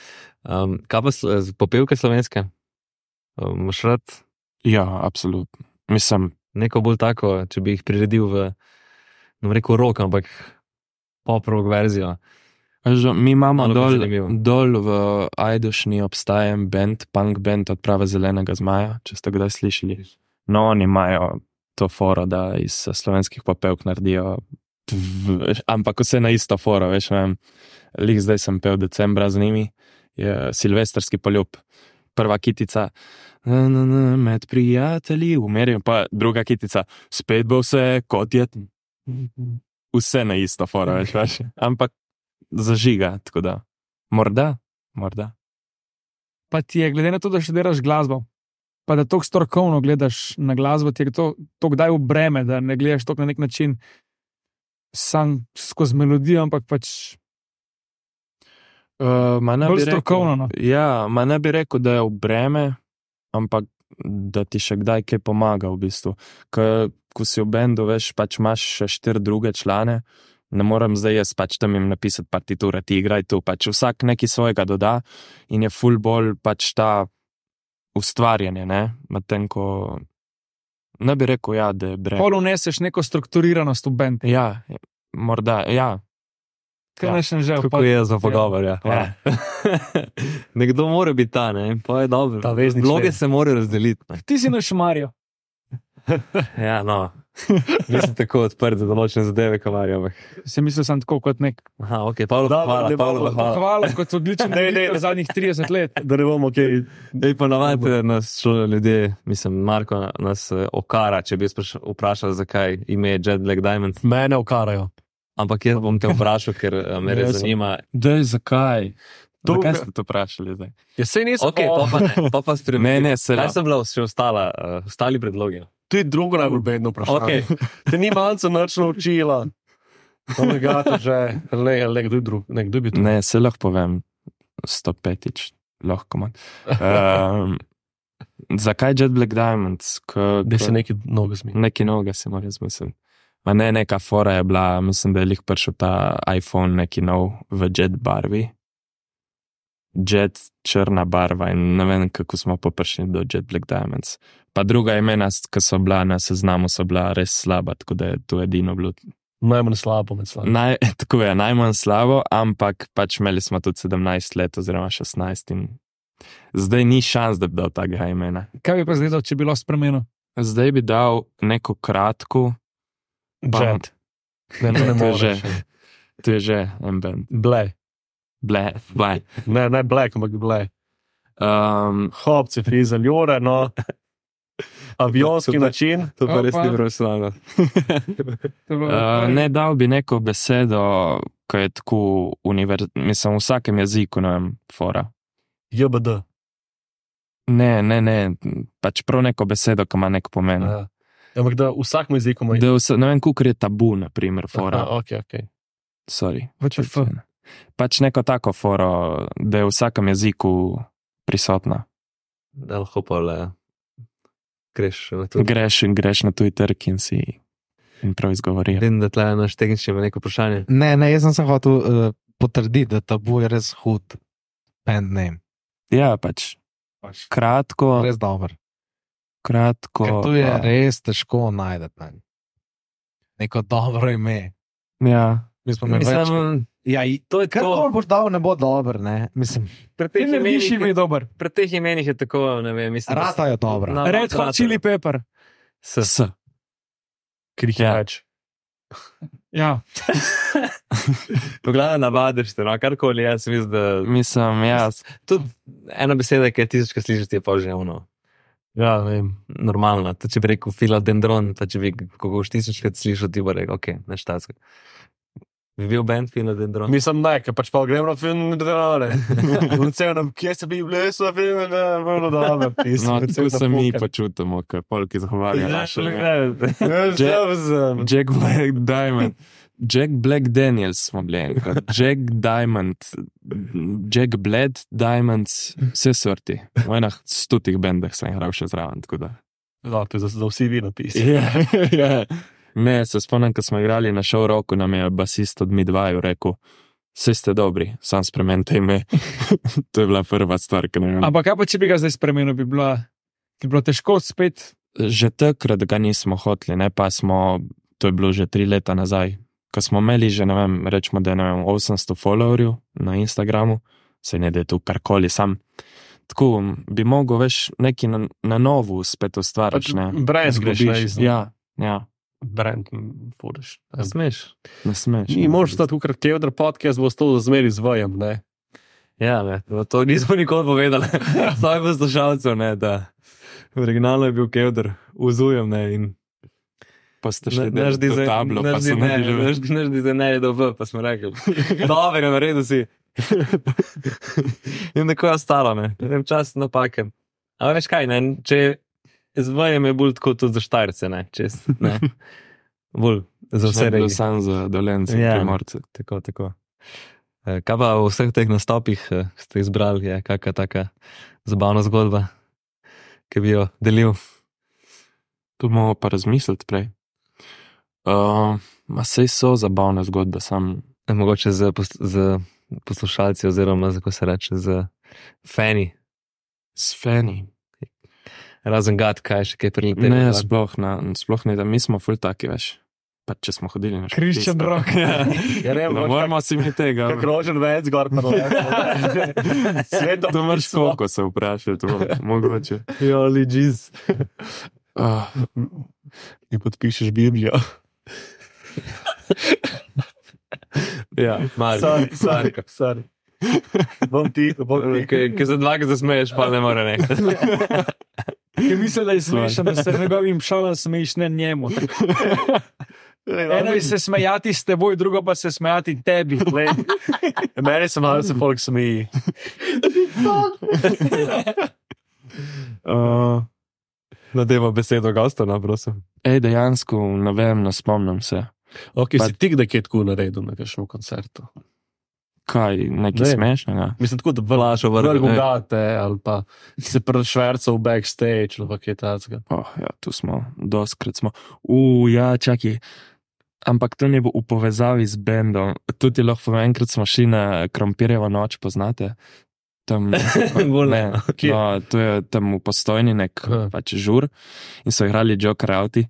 Um, kaj pa slo- z- popevke slovenske? Um, Moš rad Ja, absolutno. Mislim, neko bolj tako, če bi jih priredil v, ne bom rekel rock, ampak pop-rock verzijo. že, mi imamo Malo bi dol, zanimivo. dol v Ajdošni obstaja en band, punk band Odprava zelenega zmaja, če ste kdaj slišali. No, oni imajo to foro, da iz slovenskih popevk naredijo, tv, ampak vse na isto foro, veš, ne vem. Lih zdaj sem pel decembra z njimi, je silvestrski poljub. Prva kitica, na, na, na, med prijatelji, umerjam, pa druga kitica, spet bo vse kot je, vse na isto foro, veš, veš. Ampak zažiga, tako da, morda, morda. Pa ti je, glede na to, da še delaš glasbo, pa da tako strokovno gledaš na glasbo, ti je to, to kdaj v breme, da ne gledaš to na nek način sam skozi melodijo, ampak pač Uh, ma ne bi bolj rekel- strokovno. No. Ja, ma ne bi rekel, da je v breme, ampak da ti še kdaj kaj pomaga v bistvu. Ker ko si v bendu, veš, pač imaš še štiri druge člane, ne morem zdaj jaz pač tam jim napisati partiture, ti igraj tu, pač vsak nekaj svojega doda in je ful bolj pač ta ustvarjanje, ne, medtem ko ne bi rekel, ja, da je brez. Pol uneseš neko strukturiranost v bend. Ja, morda, ja. Kaj Ja. naj še že Kako je za pogovor, ja. Ja. Nekdo mora biti ta, ne, pa je dobro. Ta vezni Vloge člen. se morajo razdeliti. Ne. Ti si na šumarju. Ja, no. Nisem tako odprt za določene zadeve, kamarja. Ampak. Se mislil sem tako kot nek Aha, ok, Pavlo, Dobro, hvala, ne Pavlo, bomo- hvala. hvala, kot odličen Ne, ne, voditelj ne. zadnjih trideset let. Da ne bomo kaj. Ej, pa navadite nas šlo ljudje, mislim, Marko nas eh, okara, če bi spraš- vprašal, zakaj ime je Jet Black Diamond. Mene okarajo. Ampak jaz bom te vprašal, ker eh, me res Jaz sem- zanima. Dej, zakaj? To- Zakaj ste to vprašali zdaj? Jaz se nisem. Ok, pa pa ne, pa pa Ne, spremeni. ne, se Kaj sem bila še ostala, uh, ostali predlogi? To je drugo najbolj bedno vprašanje. Ok, Te ni malce nič naučila. To me gata že. Le, le, kdo je drug? Ne, kdo bi to? Ne, se lahko povem, sto petič, lahko manj. Um, zakaj Jet Black Diamonds? Ko, Da se ko, nekaj novega zmi. neki noga se mora zmisliti. Ma ne, neka fora je bila, mislim, da je lih prišel ta iPhone neki nov v jet barvi. Jet črna barva in ne vem, kako smo pa prišli do Jet Black Diamonds. Pa druga imena, ki so bila na seznamu, so bila res slaba, tako da je to edino bilo. Najmanj slabo med slabo. Naj, tako je, najmanj slabo, ampak pač imeli smo tudi sedemnajst let oziroma šestnajst in zdaj ni šans, da bi dal takega imena. Kaj bi pa zdaj dal, če bi bilo spremenil? Zdaj bi dal neko kratko, Jet. Ne, ne, ne To je moreš. že. to je že en band. Ble. Ble, ble. Ne, ne black, ampak ble. Um, Hopci, friza, ljore, no. Avionski Super. način. to pa res Opa. ni profesionalno. To je bilo- uh, ne dal bi neko besedo, ki je tako univerzalna, mislim, v vsakem jeziku, ne vem, fora. J B D. Ne, ne, ne, pač prav neko besedo, ki ima nek pomen. Ja. Ampak da v vsakem jeziku ima. Da vse, ne vem, kukor je tabu, na primer, fora. Aha, ok, ok. Sorry. V Č F. Pač neko tako foro, da je v vsakem jeziku prisotna. Da lahko pa le greš na to. Greš in greš na tuj trg in si in prav izgovoriš. Vidim, da tle naš tehnični ima neko vprašanje. Ne, ne, jaz sem se hotel uh, potrditi, da tabu je res hud band name. Ja, pač kratko, Res dober. kratko. Ker to je pa- res težko najti. Ne. Neko dobro ime. Ja. Mi smo imeli več. Mislim, Ja, i- to je kar to. koli boš dal, ne bo dober. Ne. Mislim, Pri Ti teh ne viš ime imenih, dober. pri teh imenih je tako, ne vem, mislim. da se- rata je dobra. Na- Red Hot Chili Pepper. S. S. Krih Ja. več. Ja. Pogledaj, navadiš te, no, karkoli jaz mislim, da. Mislim, ja, Tudi ena beseda, ki je tisočkrat slišiš, je pa že ono. Ja, ne vem. Normalno. To, če bi rekel filodendron, pa če bi ko boš tisočkrat slišal, ti bo rekel, ok, neštatsko. Bi bil band filodendron? Mislim, ne, ker pač pa gremo na film, da ne. Vcem, kje se bi bili, so film, da je bilo dobro. no, tu se mi počutimo, ker polki zagovarjajo naše. Jack Black Diamond. Jack Black Daniels smo bili enkrat. Jack Diamond, Jack Bled Diamonds, vse sorti. V enah stotih bendah sem igral še zraven, tako da. No, to je za, za vsi vi napisi. Ja, ja. Ne, se spomnim, ko smo igrali na show roku, nam je basist od Midwaju rekel, vse ste dobri, sam spremenite ime. To je bila prva stvar, ki ne vem. Ampak kaj pa, če bi ga zdaj spremenil, bi, bila, bi bilo težko spet. Že takrat ga nismo hoteli, ne pa smo, to je bilo že tri leta nazaj, ko smo imeli že, ne vem, rečemo, da je, ne vem, osemsto followerjev na Instagramu, se ne da je tu karkoli sam. Tako bi mogel več neki na, na novo spet ustvariti, ne. Brez greš, ne, Zgubiš. Ja, ja, brand, furiš. Ne smeš. ne smeš. Ni možno stati, kot Kevdr podcast, bo to zmeri z vajem, ne. Ja, ne, to nismo nikoli povedali. Saj poslušalcev, ne, da originalno je bil Kevdr, uzujem, ne, in Pa ste šli naš do dizajn, tablo, pa naš so dizajn, naredili. naš, naš dizajner je dobil, pa smo rekli, dobro, naredil si. In tako je ostalo, ne, vem čas napake. Ampak veš kaj, ne, če z vajem je bolj tako tudi za Štajerce, ne, čez, ne, bolj za vse regije. Sam za Dolence, Ja. Primorce. Tako, tako. Eh, Kaj pa v vseh teh nastopih eh, ste izbrali, je kakšna taka zabavna zgodba, ki bi jo delil? Tu moramo pa razmisliti prej. Uh, ma sej so zabavne zgodbe, sam Eh, Mogoče z, pos- z poslušalci oziroma, kako se reče, z fani. s fani. Razen gad, kaj še kaj prilete. Ne, sploh, na, sploh ne, da mi smo ful taki, veš. Pa če smo hodili na šport. Christian Rock. Ja, Ja, ne, ne moramo si mi tega. Kako rožen več zgor, pa ne. Sveto. To imaš koliko se vprašati, to mogoče. Joli, džiz. Oh, In podpišeš Biblijo. Ja, Marko. Sorry, sorry, sorry. Bom ti, bom ti. Ki za dva, ki zasmeješ, pa ne more nekaj. Ki misli, da je smešen, da se njegovim šalam smejiš, ne njemu. Eno je se smejati s teboj, drugo pa se smejati tebi. Meni se malo se folk smeji. uh, Nadeva besedo gosta, no, prosim. ej, dejansko, ne vem, ne spomnim se. Ok, Pa- si ti kdaj kaj tako naredil na kakšnem koncertu? Kaj, nekaj Ne. smešnega? Mislim, tako da Vlašo vrgo. vrgo gate, ali pa se prešvercal v backstage, ali pa kaj takega. Oh, ja, tu smo, doskrat smo. U, ja, čakaj. Ampak to ni bilo v povezavi z bendom. Tudi lahko povem, enkrat smo šli na Krompirjevo noč, poznate? Tam, Bolj ne. ne, no, to je tam v Postojni nek Aha. pač žur in so igrali Joker Outi.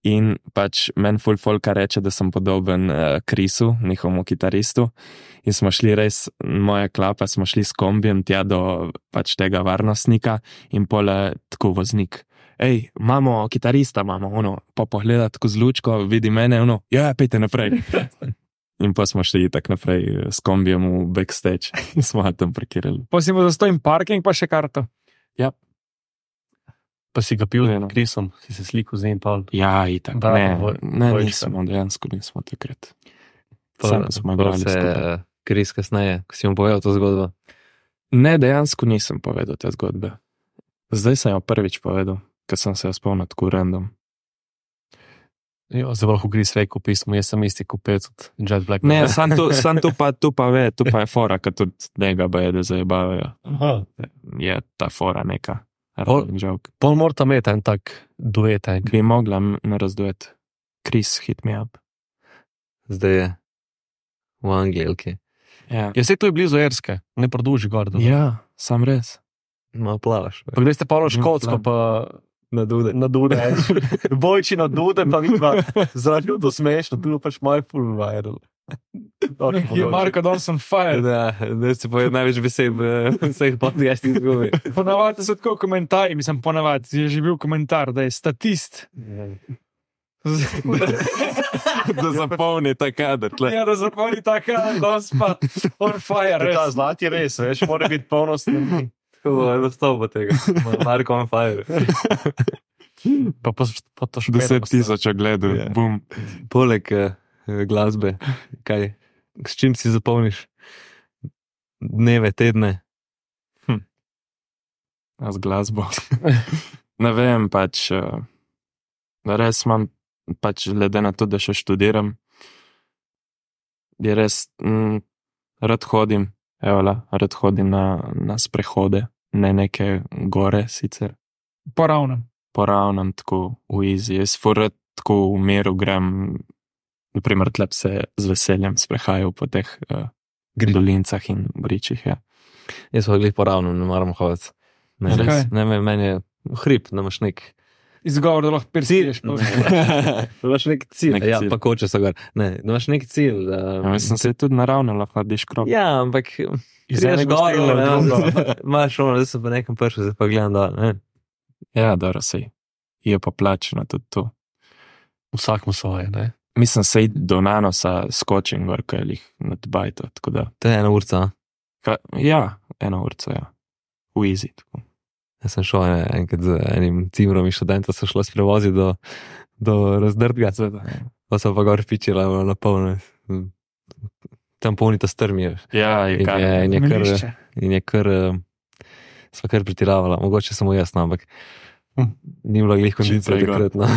In pač meni ful folka reče, da sem podoben uh, Krisu, njihovemu kitaristu. In smo šli res, moja klapa, smo šli s kombijem tja do pač tega varnostnika in pole tako voznik. Ej, imamo kitarista, imamo, ono, pa pogleda tako z lučko, vidi mene, ono, ja, pejte naprej. In pa smo šli tak naprej s kombijem v backstage in smo ga tam parkirali. Pa si mu zastojim parking, pa še karto. Pa si ga pil Ne, no. z Krisom, si se slikal z njim, Paul. Ja, itak, Da, ne, voj- ne, vojčka. nismo, dejansko nismo takrat. Pa- Samo smo pa igrali se skupaj. eh, Kris kasneje, ko si mu povedal to zgodbo. Ne, dejansko nisem povedal te zgodbe. Zdaj sem jo prvič povedal, ker sem se jo spomnil tako random. Jo, zelo lahko Kris rekel v pismu, jaz sem isti kupec od Jet Black. Ne, sam tu, sam tu pa, tu pa ve, tu pa je fora, ker tudi njega baje, da zajebavajo. Aha. Je ta fora neka. Pol- Running joke. Pol morata imeti en tak duet, en. Bi mogla m- narazduet. Chris, hit me up. Zdaj je v Angliji, ok. Ja, Ja, sej to je blizu Erske, ne produži gor. da- ja sam res. Malo plavaš. Pa gdje ste pa ono škotsko, Mm, pa Na dude. na dude. Bojči na dude, pa vidva, zaradi ljudi smešno, tu je pač moj full viral. Je Marko Dawson fire. Da, da si povedal največ besed v vseh podcastih zgodbi. Ponavadi so tako komentarji, mislim, ponavadi je že bil komentar, da je statist. Da zapolni ta kader. tle. Ja, da zapolni taka, danes pa on fire. Ta Res. zlati res, veš, mora biti polnost. Tako bo enostavno tega. Marko on fire. Pa, pa, pa to še Deset tisoč ogledov, Ja. bum. Poleg eh, glasbe, kaj, s čim si zapolniš dneve, tedne? A z glasbo. Ne vem, pač, uh, res imam, pač glede na to, da še študiram, je res, mm, rad hodim, evola, rad hodim na, na sprehode, ne neke gore sicer, Poravnem. poravnam tako v easy, jaz fur rad tako v miru grem, naprimer tlep se z veseljem sprehajal po teh uh, dolincah in bričih, ja. Jaz pa glih poravno, ne maram hoditi. Ne, Zakaj? res, ne, me- meni je hrib, da imaš nek Izgovor, da lahko persiješ. da imaš nek cilj. Nek Ja, cilj. pa koče so gor. Ne, da imaš nek cilj. Da, Ja, mislim, se tudi naravno lahko diš krop. Ja, ampak Iz prideš enega gor, stila v ne, drugo. imaš ono, da sem pa nekem prišel, zdaj pa gledam dol. Ne. Ja, dobro, sej. Je pa plačeno tudi to. Vsak mu svoje, ne? Mislim, sej do nanosa skočim gor, kaj jih nad bajto, tako da. To je ena urca. a? Ka, ja, eno urco, ja. V easy, tako. Jaz sem šel en- enkrat z enim cimrom in študentom, so šlo s prevozi do, do razdrtga, Seveda. pa so pa gor pičila na polno. Tam polnita strmi. Ja, je In kar. je, in je kar, Melišče. in je kar, eh, sva kar pretiravala, mogoče samo jaz, no, ampak ni bilo glih kondicije prej gor. takrat, no.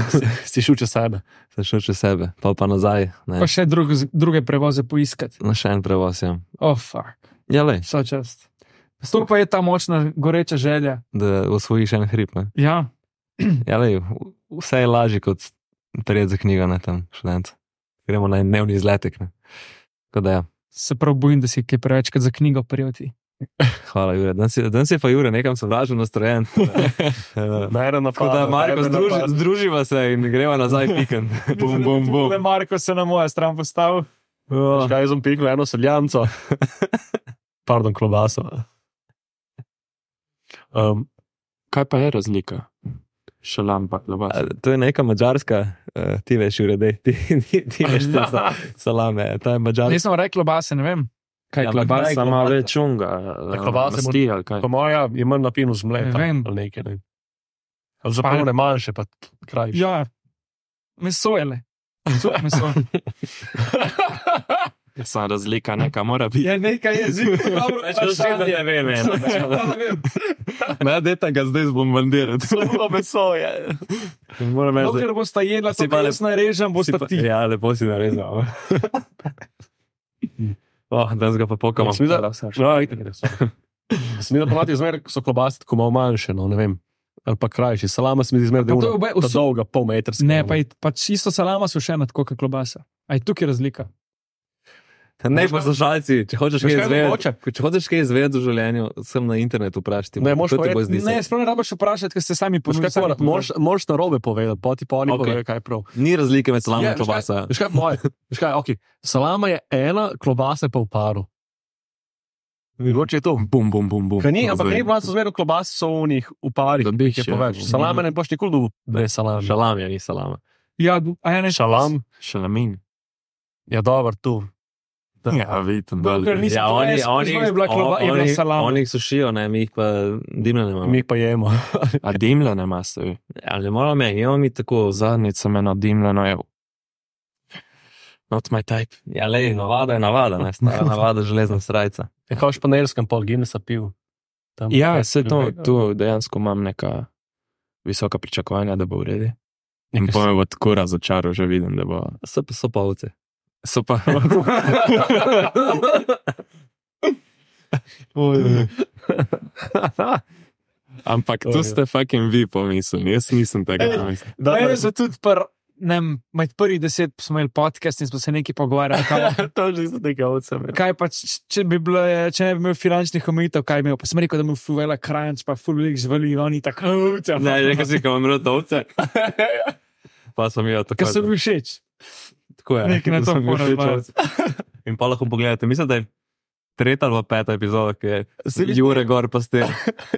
Si šel čez sebe. Sem šel čez sebe, pa pa nazaj, ne. Pa še drug, druge prevoze poiskati. Na še en prevoz, ja. Oh, fuck. Ja, lej, Vsa čast. To pa je ta močna, goreča želja. da osvojiš en hrib, ne. Ja, Ja, lej, v- vse je lažje kot prijeti za knjigo, ne, tam študent. Gremo na en dnevni izletek, ne. Tako da ja. se prav bojim, da si kaj prevečkrat za knjigo prijeti. Hvala, Jure. Danes je, danes je pa Jure nekam sovražno nastrojen. Najra Tako napada. da, Marko, združi, združiva se in greva nazaj pikant. Bum, bum, bum. Le Marko se na moja stran postavil. Škaj sem pikal eno seljanco. Pardon, klobaso. Um, Kaj pa je razlika? Šalam pa klobasa. A, To je neka mađarska, uh, ti veš, Jure, dej, ti, ti, ti veš, to so salame, ta je mađarska. Nisem rekel base, ne vem. Kaj Ja, ampak klobasa kaj ima klobasa? več unga? klobase Masti ali kaj? po moja je manj napinu z mleta. Ne vem. Ali nekaj, ne. Ali zapravo ne manjše, pa krajše. Ja, meso je le. Meso, meso. Sam razlika neka mora biti. Je nekaj jezika, dobro, Ne vem, ne. Ne, dajte ga zdaj zbombardirati. Slovo meso je. Moram reči, Dokler bosta jedla, Si to pa pa lep- jaz narežem, bosta pa, ti. ja, lepo si narezal. Oh, danes ga pa pokamo. Sem videl, no, itak je res. Sem videl, ponavadi zmer so klobase tako malo manjše, no, ne vem. Ali pa krajši. Salama se mi zdi zmer, da je Pa to je una, obe- ta vso- dolga, pol metrska. Ne, pa, je- pač isto salama so še ena tako kot klobasa. A je tukaj razlika? Ne, poslušalci, če hočeš Veš, kaj kaj izvedeti, mogoče? če hočeš kaj izvedeti v življenju, sem na internetu vprašati. Ne, moraš to ti bo povedati- zdi se. Ne, sploh ne rabiš vprašati, ker ste sami Veš ponudili. kaj, moraš- moraš- Moraš na robe povedati, poti pa oni Ok. povedo, kaj je prav. Ni razlike med salamo Je, in veš kaj- klobasa. Veš kaj, moje, veš kaj, ok. Salama je ena, klobasa je pa v paru. Mogoče je to. Bum, bum, bum, bum. Kaj ni, ampak Zdaj. ni bilo zmerno klobas so v njih v parih, Da da bi jih je še- poveč. Salame ne boš nikoli dobil brez salame. Šalam je, ni salama. Ja, a ja ne. Šalam, Šalamin. ja dober tu. Ja, vidim, Dokler da nisem Ja, oni, jaz- oni, jaz je bila kloba- je bila oni, salama. oni jih sušijo, ne, mi jih pa dimljene imamo. Mi jih pa jemo. A dimljene maste. Ali moramo me, imamo mi tako. Zadnjica me na dimljeno je. Not my type. Ja, le, navada je navada, ne, stara navada, železna srajca. Je kao španeljskem pol Guinnessa pil. Tam Ja, kaj- se to, tu dejansko imam neka visoka pričakovanja, da bo v redu. In Nekaj pa me bo tako razočaral, že vidim, da bo. So, so pa ovce. So pa. Ampak to ste fucking vi pomislili, jaz nisem tega pomislil. Da, je za tudi pr, ne, vem, med prvih deset smo imeli podcast in smo se nekaj pogovarjali. Kaj, To že so neke ovce. kaj pa, č- če, bi bilo, če ne bi imel finančnih omejitev, kaj bi imel? Pa sem rekel, da mu fuvela kranč, pa fulik zvali, oni tako. Ne, rekel si, ko imam rad ovce. Pa sem jo tako. Ker sem bil všeč. Tako je. nekaj na to sem bil moram všeč razvajati. ovce. In pa lahko pogledate, mislim, da je tretja ali pa peta epizoda, ki je Se mi zdi- Jure gor pa ste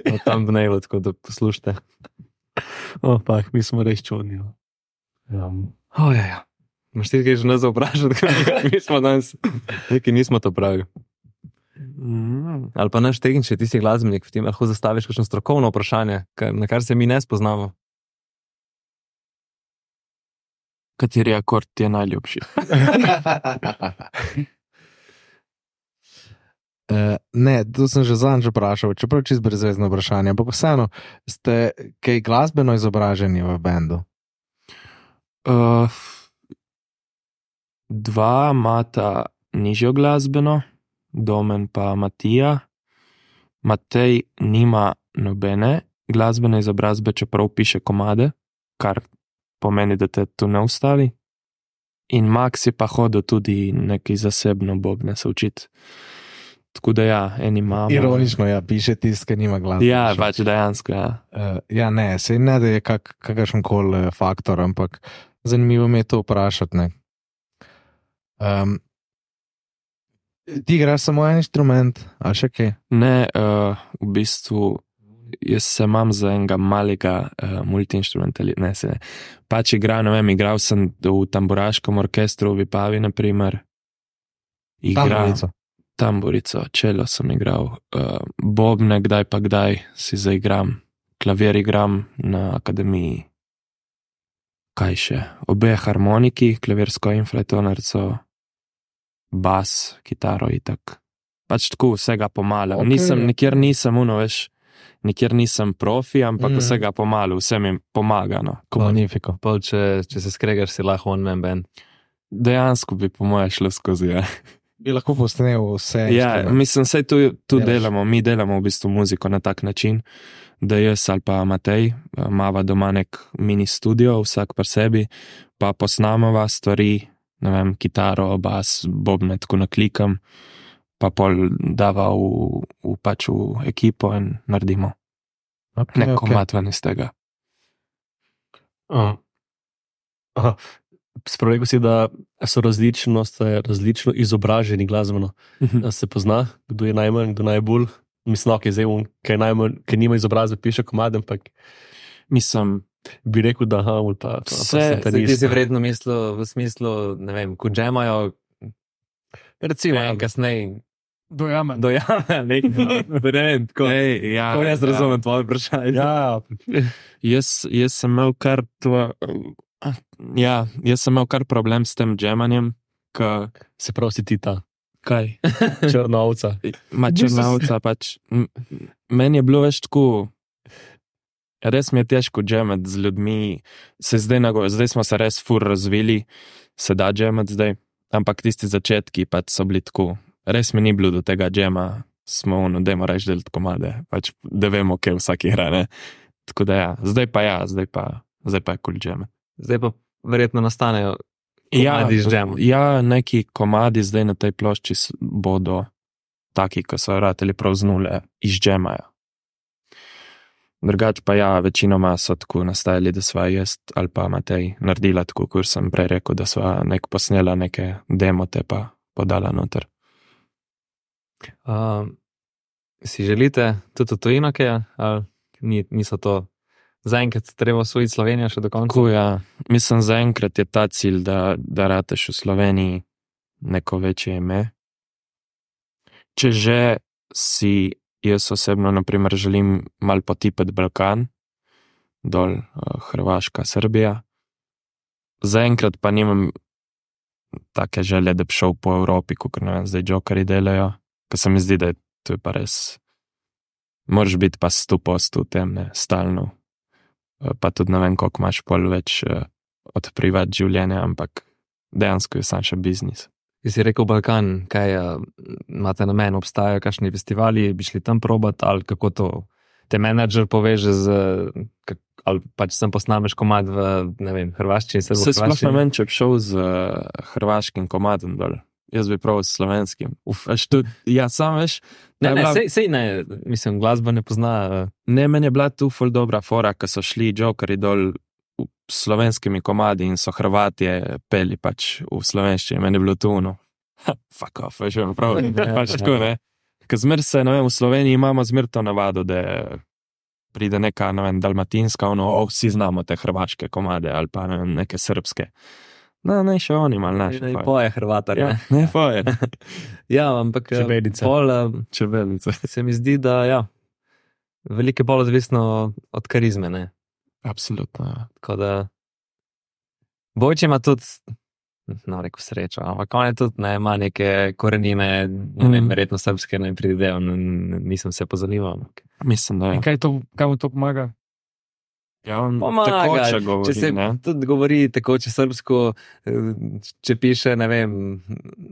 na tam dnevu, tako da poslušajte. Oh, pa, mi smo res čudni. no. Ja. Oh, ja, ja. Imaš ti kaj že nas vprašati, kaj mi smo danes, neki nismo to pravili. Mm. Ali pa naš tehnični, ti si glasbenik, v tem lahko zastaviš kakšno strokovno vprašanje, kar, na kar se mi ne spoznamo. Kateri akord ti je najljubši? Uh, ne, to sem že zadnjič vprašal, čeprav čist brezvezno vprašanje, ampak vseeno, ste kaj glasbeno izobraženi v bendu? Uh, dva imata nižjo glasbeno, Domen pa Matija. Matej nima nobene glasbene izobrazbe, čeprav piše komade, kar pomeni, da te tu ne ustavi. In Max je pa hodil tudi nekaj zasebno bobne se učiti. Tako da ja, eni imamo. Ironično, ja, piše tist, ki nima glasbe. Ja, pač dejansko, ja. Uh, ja, ne, se ne da je kak, kakršen koli faktor, ampak zanimivo mi je to vprašati. Ne. Um, ti igraš samo en inštrument, ali še kaj? Ne, uh, v bistvu jaz se imam za enega malega uh, multiinstrumentalista, ne se ne. Pač igram, ne vem, igral sem v tamburaškem orkestru v Vipavi, naprimer. Igram Tamburico. tamburico, čelo sem igral, uh, bobne, kdaj pa kdaj si zaigram, klavir igram na akademiji. Kaj še? Obe harmoniki, klavirsko in flajtonarco, bas, kitaro itak. Pač tako vsega pomalo. Ok. Okay. Nisem, nikjer nisem uno, veš, nikjer nisem profi, ampak Mm. mm. vsega pomalo, vse mi pomaga, no. Magnifiko. Pol, če, če se skregaš, si lahko one man band. Dejansko bi po moje šlo skozi, ja. Bi lahko posnel vse. Ja, inštrumente. mislim, saj tu, tu Delaš. delamo, mi delamo v bistvu muziko na tak način, da jaz ali pa Matej imava doma nek mini studio, vsak pri sebi, pa posnamava stvari, ne vem, kitaro, bas, bobne, tako naklikam, pa pol dava v, v pač v ekipo in naredimo Okay, nek okay. komad ven iz tega. Uh, aha. Spregovoril si, da so različnost, različno izobraženi glasbeno. Da se pozna, kdo je najmanj, kdo najbolj. Mislim, da je kaj najmanj, ker nima izobrazbe, piše komad, ampak Mislim, bi rekel, da ha, pa, pa, Vse- pa Ti si vredno mislil v smislu, ne vem, ko džemajo, recimo Ja. en kasneje, Dojame. dojame nekaj. Ne vem, tako. ej, ja, Kako jaz razumem tvoje vprašanje? Ja, Jaz, jaz sem imel kar tvo, ja, jaz sem imel kar problem s tem džemanjem, ka, se pravi, si ti ta kaj, črna ovca. ma črnavca pač, m- meni je bilo več tako, res mi je težko džemati z ljudmi, se zdaj, nago, zdaj smo se res fur razvili, se da džemati zdaj, ampak tisti začetki pač so bili tako, res mi ni bilo do tega džema, smo ono, dajmo reči delati komade, pač da vemo, kje vsak igra, ne. Tako da ja, zdaj pa ja, zdaj pa, zdaj pa je kul džeme. Zdaj pa verjetno nastanejo komadi z džemom. Ja, neki komadi zdaj na tej plošči s- bodo taki, ko so rateli prav z nule, iz džemajo. Drugač pa ja, večinoma so tako nastajali, da sva jaz ali pa Matej naredila tako, kot sem prej rekel, da sva nek posnela neke demote pa podala noter. Uh, si želite tudi v tujino, kaj, ali ni, niso to zaenkrat treba osvojiti Slovenijo še do konca? Tako ja, mislim zaenkrat je ta cilj, da, da rateš v Sloveniji neko večje ime. Če že si jaz osebno, naprimer, želim mal potipati Balkan, dol uh, Hrvaška, Srbija. Zaenkrat pa nimam take želje, da bi šel po Evropi, kot ne vem, zdaj Jokerji delajo, ker se mi zdi, da je to je pa res, moraš biti pa sto posto v tem, ne, stalno. Uh, pa tudi ne vem, koliko imaš pol več uh, od privat življenja, ampak dejansko je sam še biznis. Ti si rekel Balkan, kaj uh, imate namen, obstajajo kakšni festivali, bi šli tam probat, ali kako to te menadžer poveže z, kak, ali pač sem posnameš komad v, ne vem, hrvaščini, Se sploh ne srbo-hrvaščini. vem, če bi šel z uh, hrvaškim komadom dol. Jaz bi prav s slovenskim. Uf, veš, tudi, ja, sam veš, Ne, je ne, bila- sej, sej ne, mislim, glasba ne pozna. Uh, ne, meni je bila tu ful dobra fora, ko so šli Jokerji dol v- s slovenskimi komadi in so Hrvatje peli pač v slovenščini. Meni je bilo tu ono, ha, fuck off, veš, vem, prav, pač tako, ne. Ker zmer se, ne vem, v Sloveniji imamo zmer to navado, da pride neka, ne vem, dalmatinska, ono, o, vsi znamo te hrvaške komade, ali pa, ne vem, neke srbske. No, ne, še oni malo naši. ne, poje. poje Hrvatar. Ja, Ne? ne, poje. Ja, ampak uh, Čebelica. pol, uh, Čebelice. se mi zdi, da ja, veliko je bolj odvisno od karizme, ne. Absolutno, ja. Tako da Bojče ima tudi, no, rekel srečo, ampak on je tudi, ne, ima neke korenine, ne vem, Mhm. verjetno srbske, ne pridejo, nisem se pozanimal. ampak- Mislim, da In je. kaj, to, kaj mu to pomaga? Ja, on Pomaga, tekoče govori, če se ne. tudi govori tekoče srbsko, eh, če piše, ne vem,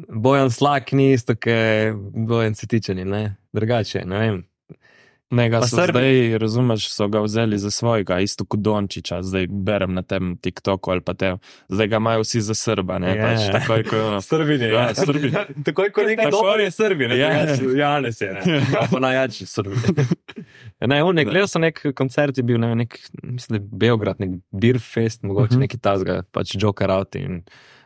Bojan Slak ni isto, kot Bojan Cetičani, ne, drugače, ne vem. Ne, ga Pa so Srbi- zdaj, razumeš, so ga vzeli za svojega, isto kot Dončiča, zdaj berem na tem TikToku ali pa te, zdaj ga imajo vsi za Srba, ne, Ja, pač ja. takoj, ko je ono. Srbine, Ja, Srbine. Takoj, ko nekaj Tako- dobro je Srbine, Ja. Janez je, ne, pa najjači Srbine. Ne, on je, gledal sem nek koncert, je bil, ne vem, nek, mislim, da je Beograd, nek Beer Fest, mogoče Mhm. neki tazga, pač Joker out in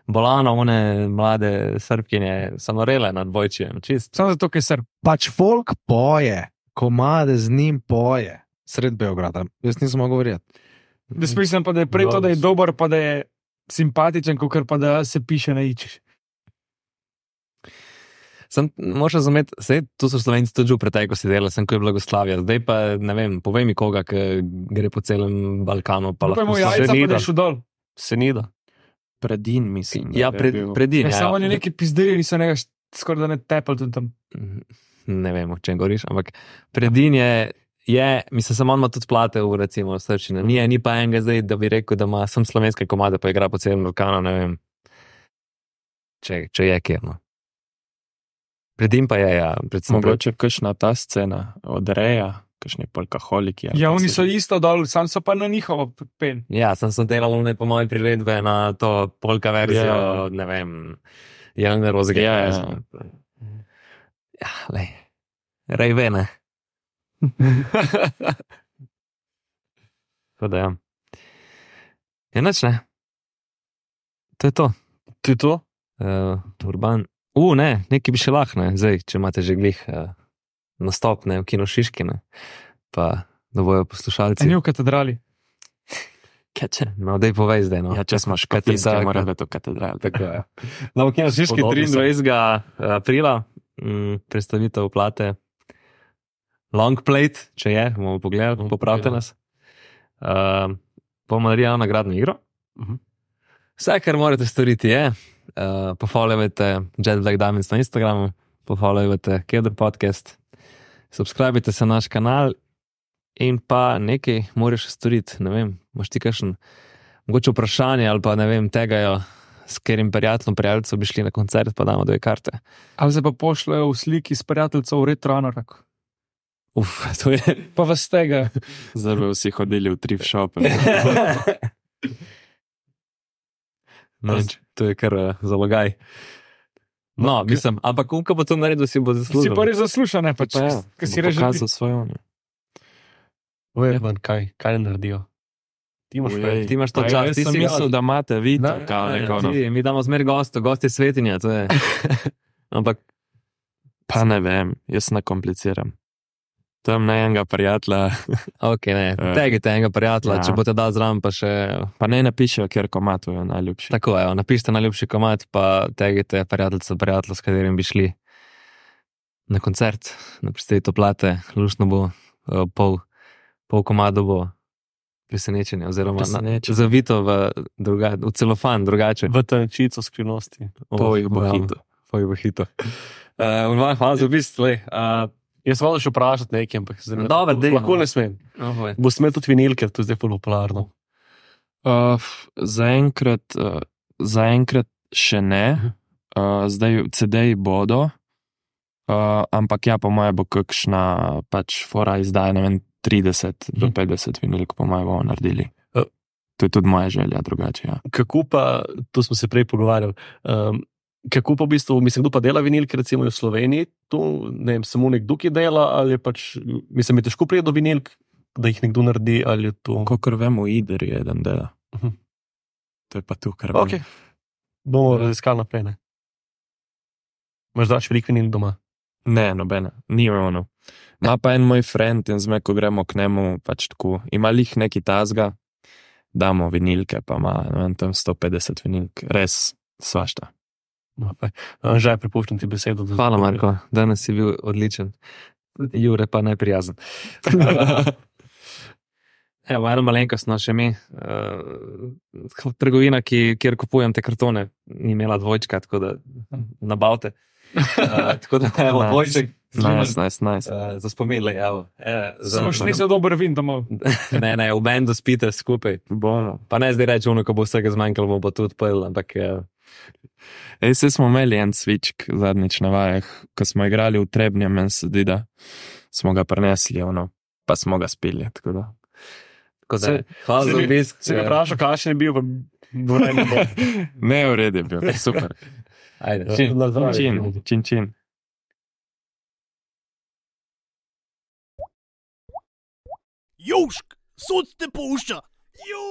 Bolano, one mlade Srbkinje, so norele nad Bojčijem, čist. Samo zato, ker se Pač folk poje, komade z njim poje, sred Beograda. Jaz nisem mogel govoriti. Da smislim pa, da je prej to, da je dober, pa da je simpatičen, kot pa da se piše na ičiš. Sem, moraš razumeti, sej, tu so Slovenci tudi že v preteklosti delali, sem ko je Blagoslavija, zdaj pa, ne vem, povej mi koga, ki gre po celem Balkanu, pa Pa lahko mu se- jajca, pa Senida. da je šel dol. Senida. Predin, mislim. da Ja, je pred, bil. predin, Ja, ja. samo oni neki pizdiri niso nekaj skoraj da ne tepali tudi tam. Ne vem, o čem govoriš, ampak predin je, je mislim, samo on ima tudi plate v, recimo, v srčini. Ni, ni pa enega zdaj, da bi rekel, da ima sem slovenske komade, pa igra po celem Balkanu, ne vem, če, če je kjer, no. Predin pa je, ja, predvsem. Mogoče kakšna ta scena od Reja, kakšni polkaholiki. ali Ja, pa oni se- so isto dol, sam so pa na njihovo pen. Ja, sem se delal ne po moje priredbe na to polka verzijo, Ja. ne vem, Jelene Rozge. Ja, ja. Ja, lej. Rejvene. Tako da ja. Ja, nič ne. To je to. To je to? Uh, urban. U, ne, nekaj bi še lahko, ne, zdaj, če imate že glih uh, nastop, ne, v Kino Šiški, ne, pa da bojo poslušalci. A ni v katedrali. Keče. No, dej povej zdaj, no. Ja, če smo škatijske, mora biti v katedrali. Tako je. No, v Kino Šiški Spodobno se. triindvajsetega aprila mm, predstavitev plate Long Plate, če je, bomo pogledali, popravite nas. Uh, bomo naredili eno nagradno igro. Mhm. Vse, kar morate storiti je, uh, pofollowajte Jet Black Diamonds na Instagramu, pofollowajte Kedr podcast, subscribite se na naš kanal in pa nekaj moraš storiti, ne vem, imaš ti kakšen mogoče vprašanje ali pa ne vem, tegajo, s katerim prijateljem, prijateljcev bi šli na koncert, pa damo dve karte. A se pa pošljajo v sliki s prijateljcev v Retroanorak. Uf, to je... Pa vas tega. Zdaj bi vsi hodili v thrift shop. No, to je kar uh, zalogaj. No, mislim, ampak ko bo to naredil, si bo zaslužil. Si pa res zasluša, ne pač, Pa ja, kaj si bo reže. pokazal svojo. ne. Urban, kaj, kaj ne naredijo? Ti imaš Ujej. prej. Ti imaš to Pa čas, jaz ti sem si mislil, da imate vi to, Ne, kao Ne, neko, no. ti, mi damo zmer gosto, gost je svetinja, to je. Ampak, Pa ne vem, jaz ne kompliciram. Tam na enega prijatelja, ok, ne, Eh, tegite enega prijatelja, ja. če boste dal zraven, pa še, pa ne napišejo, kjer komat je najljubši. tako je, napišite najljubši komad, pa tegite prijateljca, prijatelja, s katerim bi šli na koncert, na predstavitev plate, luštno bo, eh, pol, pol komado bo presenečenje, oziroma na, Presenečenje. zavito v, druga, v celofan, drugače. V tančico skrivnosti. Pol jih bo ja, hito. Pol jih bo hito. Uh, hvala za obisk, lej. Uh, Jaz volim še vprašati nekaj, ampak zdaj ne- Dobro, dej, lahko no. ne smem. oh, Bo smel tudi vinilke, to je zdaj ful popularno. Uh, f- zaenkrat, uh, zaenkrat še ne, uh, zdaj C D-ji bodo, uh, ampak ja, po moje bo kakšna pač fora izdaja, ne vem, trideset do petdeset vinilk, po moje bomo naredili. Eh. To je tudi moja želja, drugače, ja. Kako pa, to smo se prej pogovarjali, um, kako pa v bistvu, mislim, kdo pa dela vinilke, recimo v Sloveniji, tu, ne vem, samo nekdo, ki dela, ali je pač, mislim, je težko priti do vinilk, da jih nekdo naredi, ali je to... Kolikor vem, v Idri je eden dela. Mhm. To je pa tu, kar vem. Ok, bomo raziskali naprej, ne. Imaš dač veliko vinil doma? Ne, nobene, ni ono. Ma pa en moj friend in zme, ko gremo k njemu, pač tako, ima lih neki tazga, damo vinilke, pa ima, ne vem, tam sto petdeset vinilk, res svašta. No, pa, že prepuščam ti besedo. da- hvala, Marko, danes si bil odličen. Jure pa neprijazen. Evo, eno malenkost, no, še mi. Uh, trgovina, ki, kjer kupujem te kartone, ni imela dvojčka, tako da nabavte. Uh, tako da, evo, Nice. dvojček. Nice, nice, nice. Uh, za spominle, evo. E, za, Samo še nisi dober vin domov. ne, ne, v bendu spite skupaj. Bono. Pa ne zdaj reči, ono, ko bo vsega zmanjkalo, bomo pa tudi pil, ampak uh, Ej, se smo imeli en svičk zadnjič na vajah, ko smo igrali v Trebnjem, meni se zdi, da smo ga prenesli, ono, pa smo ga spili, tako da. tako da, Se- hvala se za mi- obisk. Se mi vprašal, kakšen je bil, pa vreme bo. Ne, v redu je bil, super. Ajde, čim. Na zdravje. Čin, čin, čin. Južk, sod te pušča. Južk.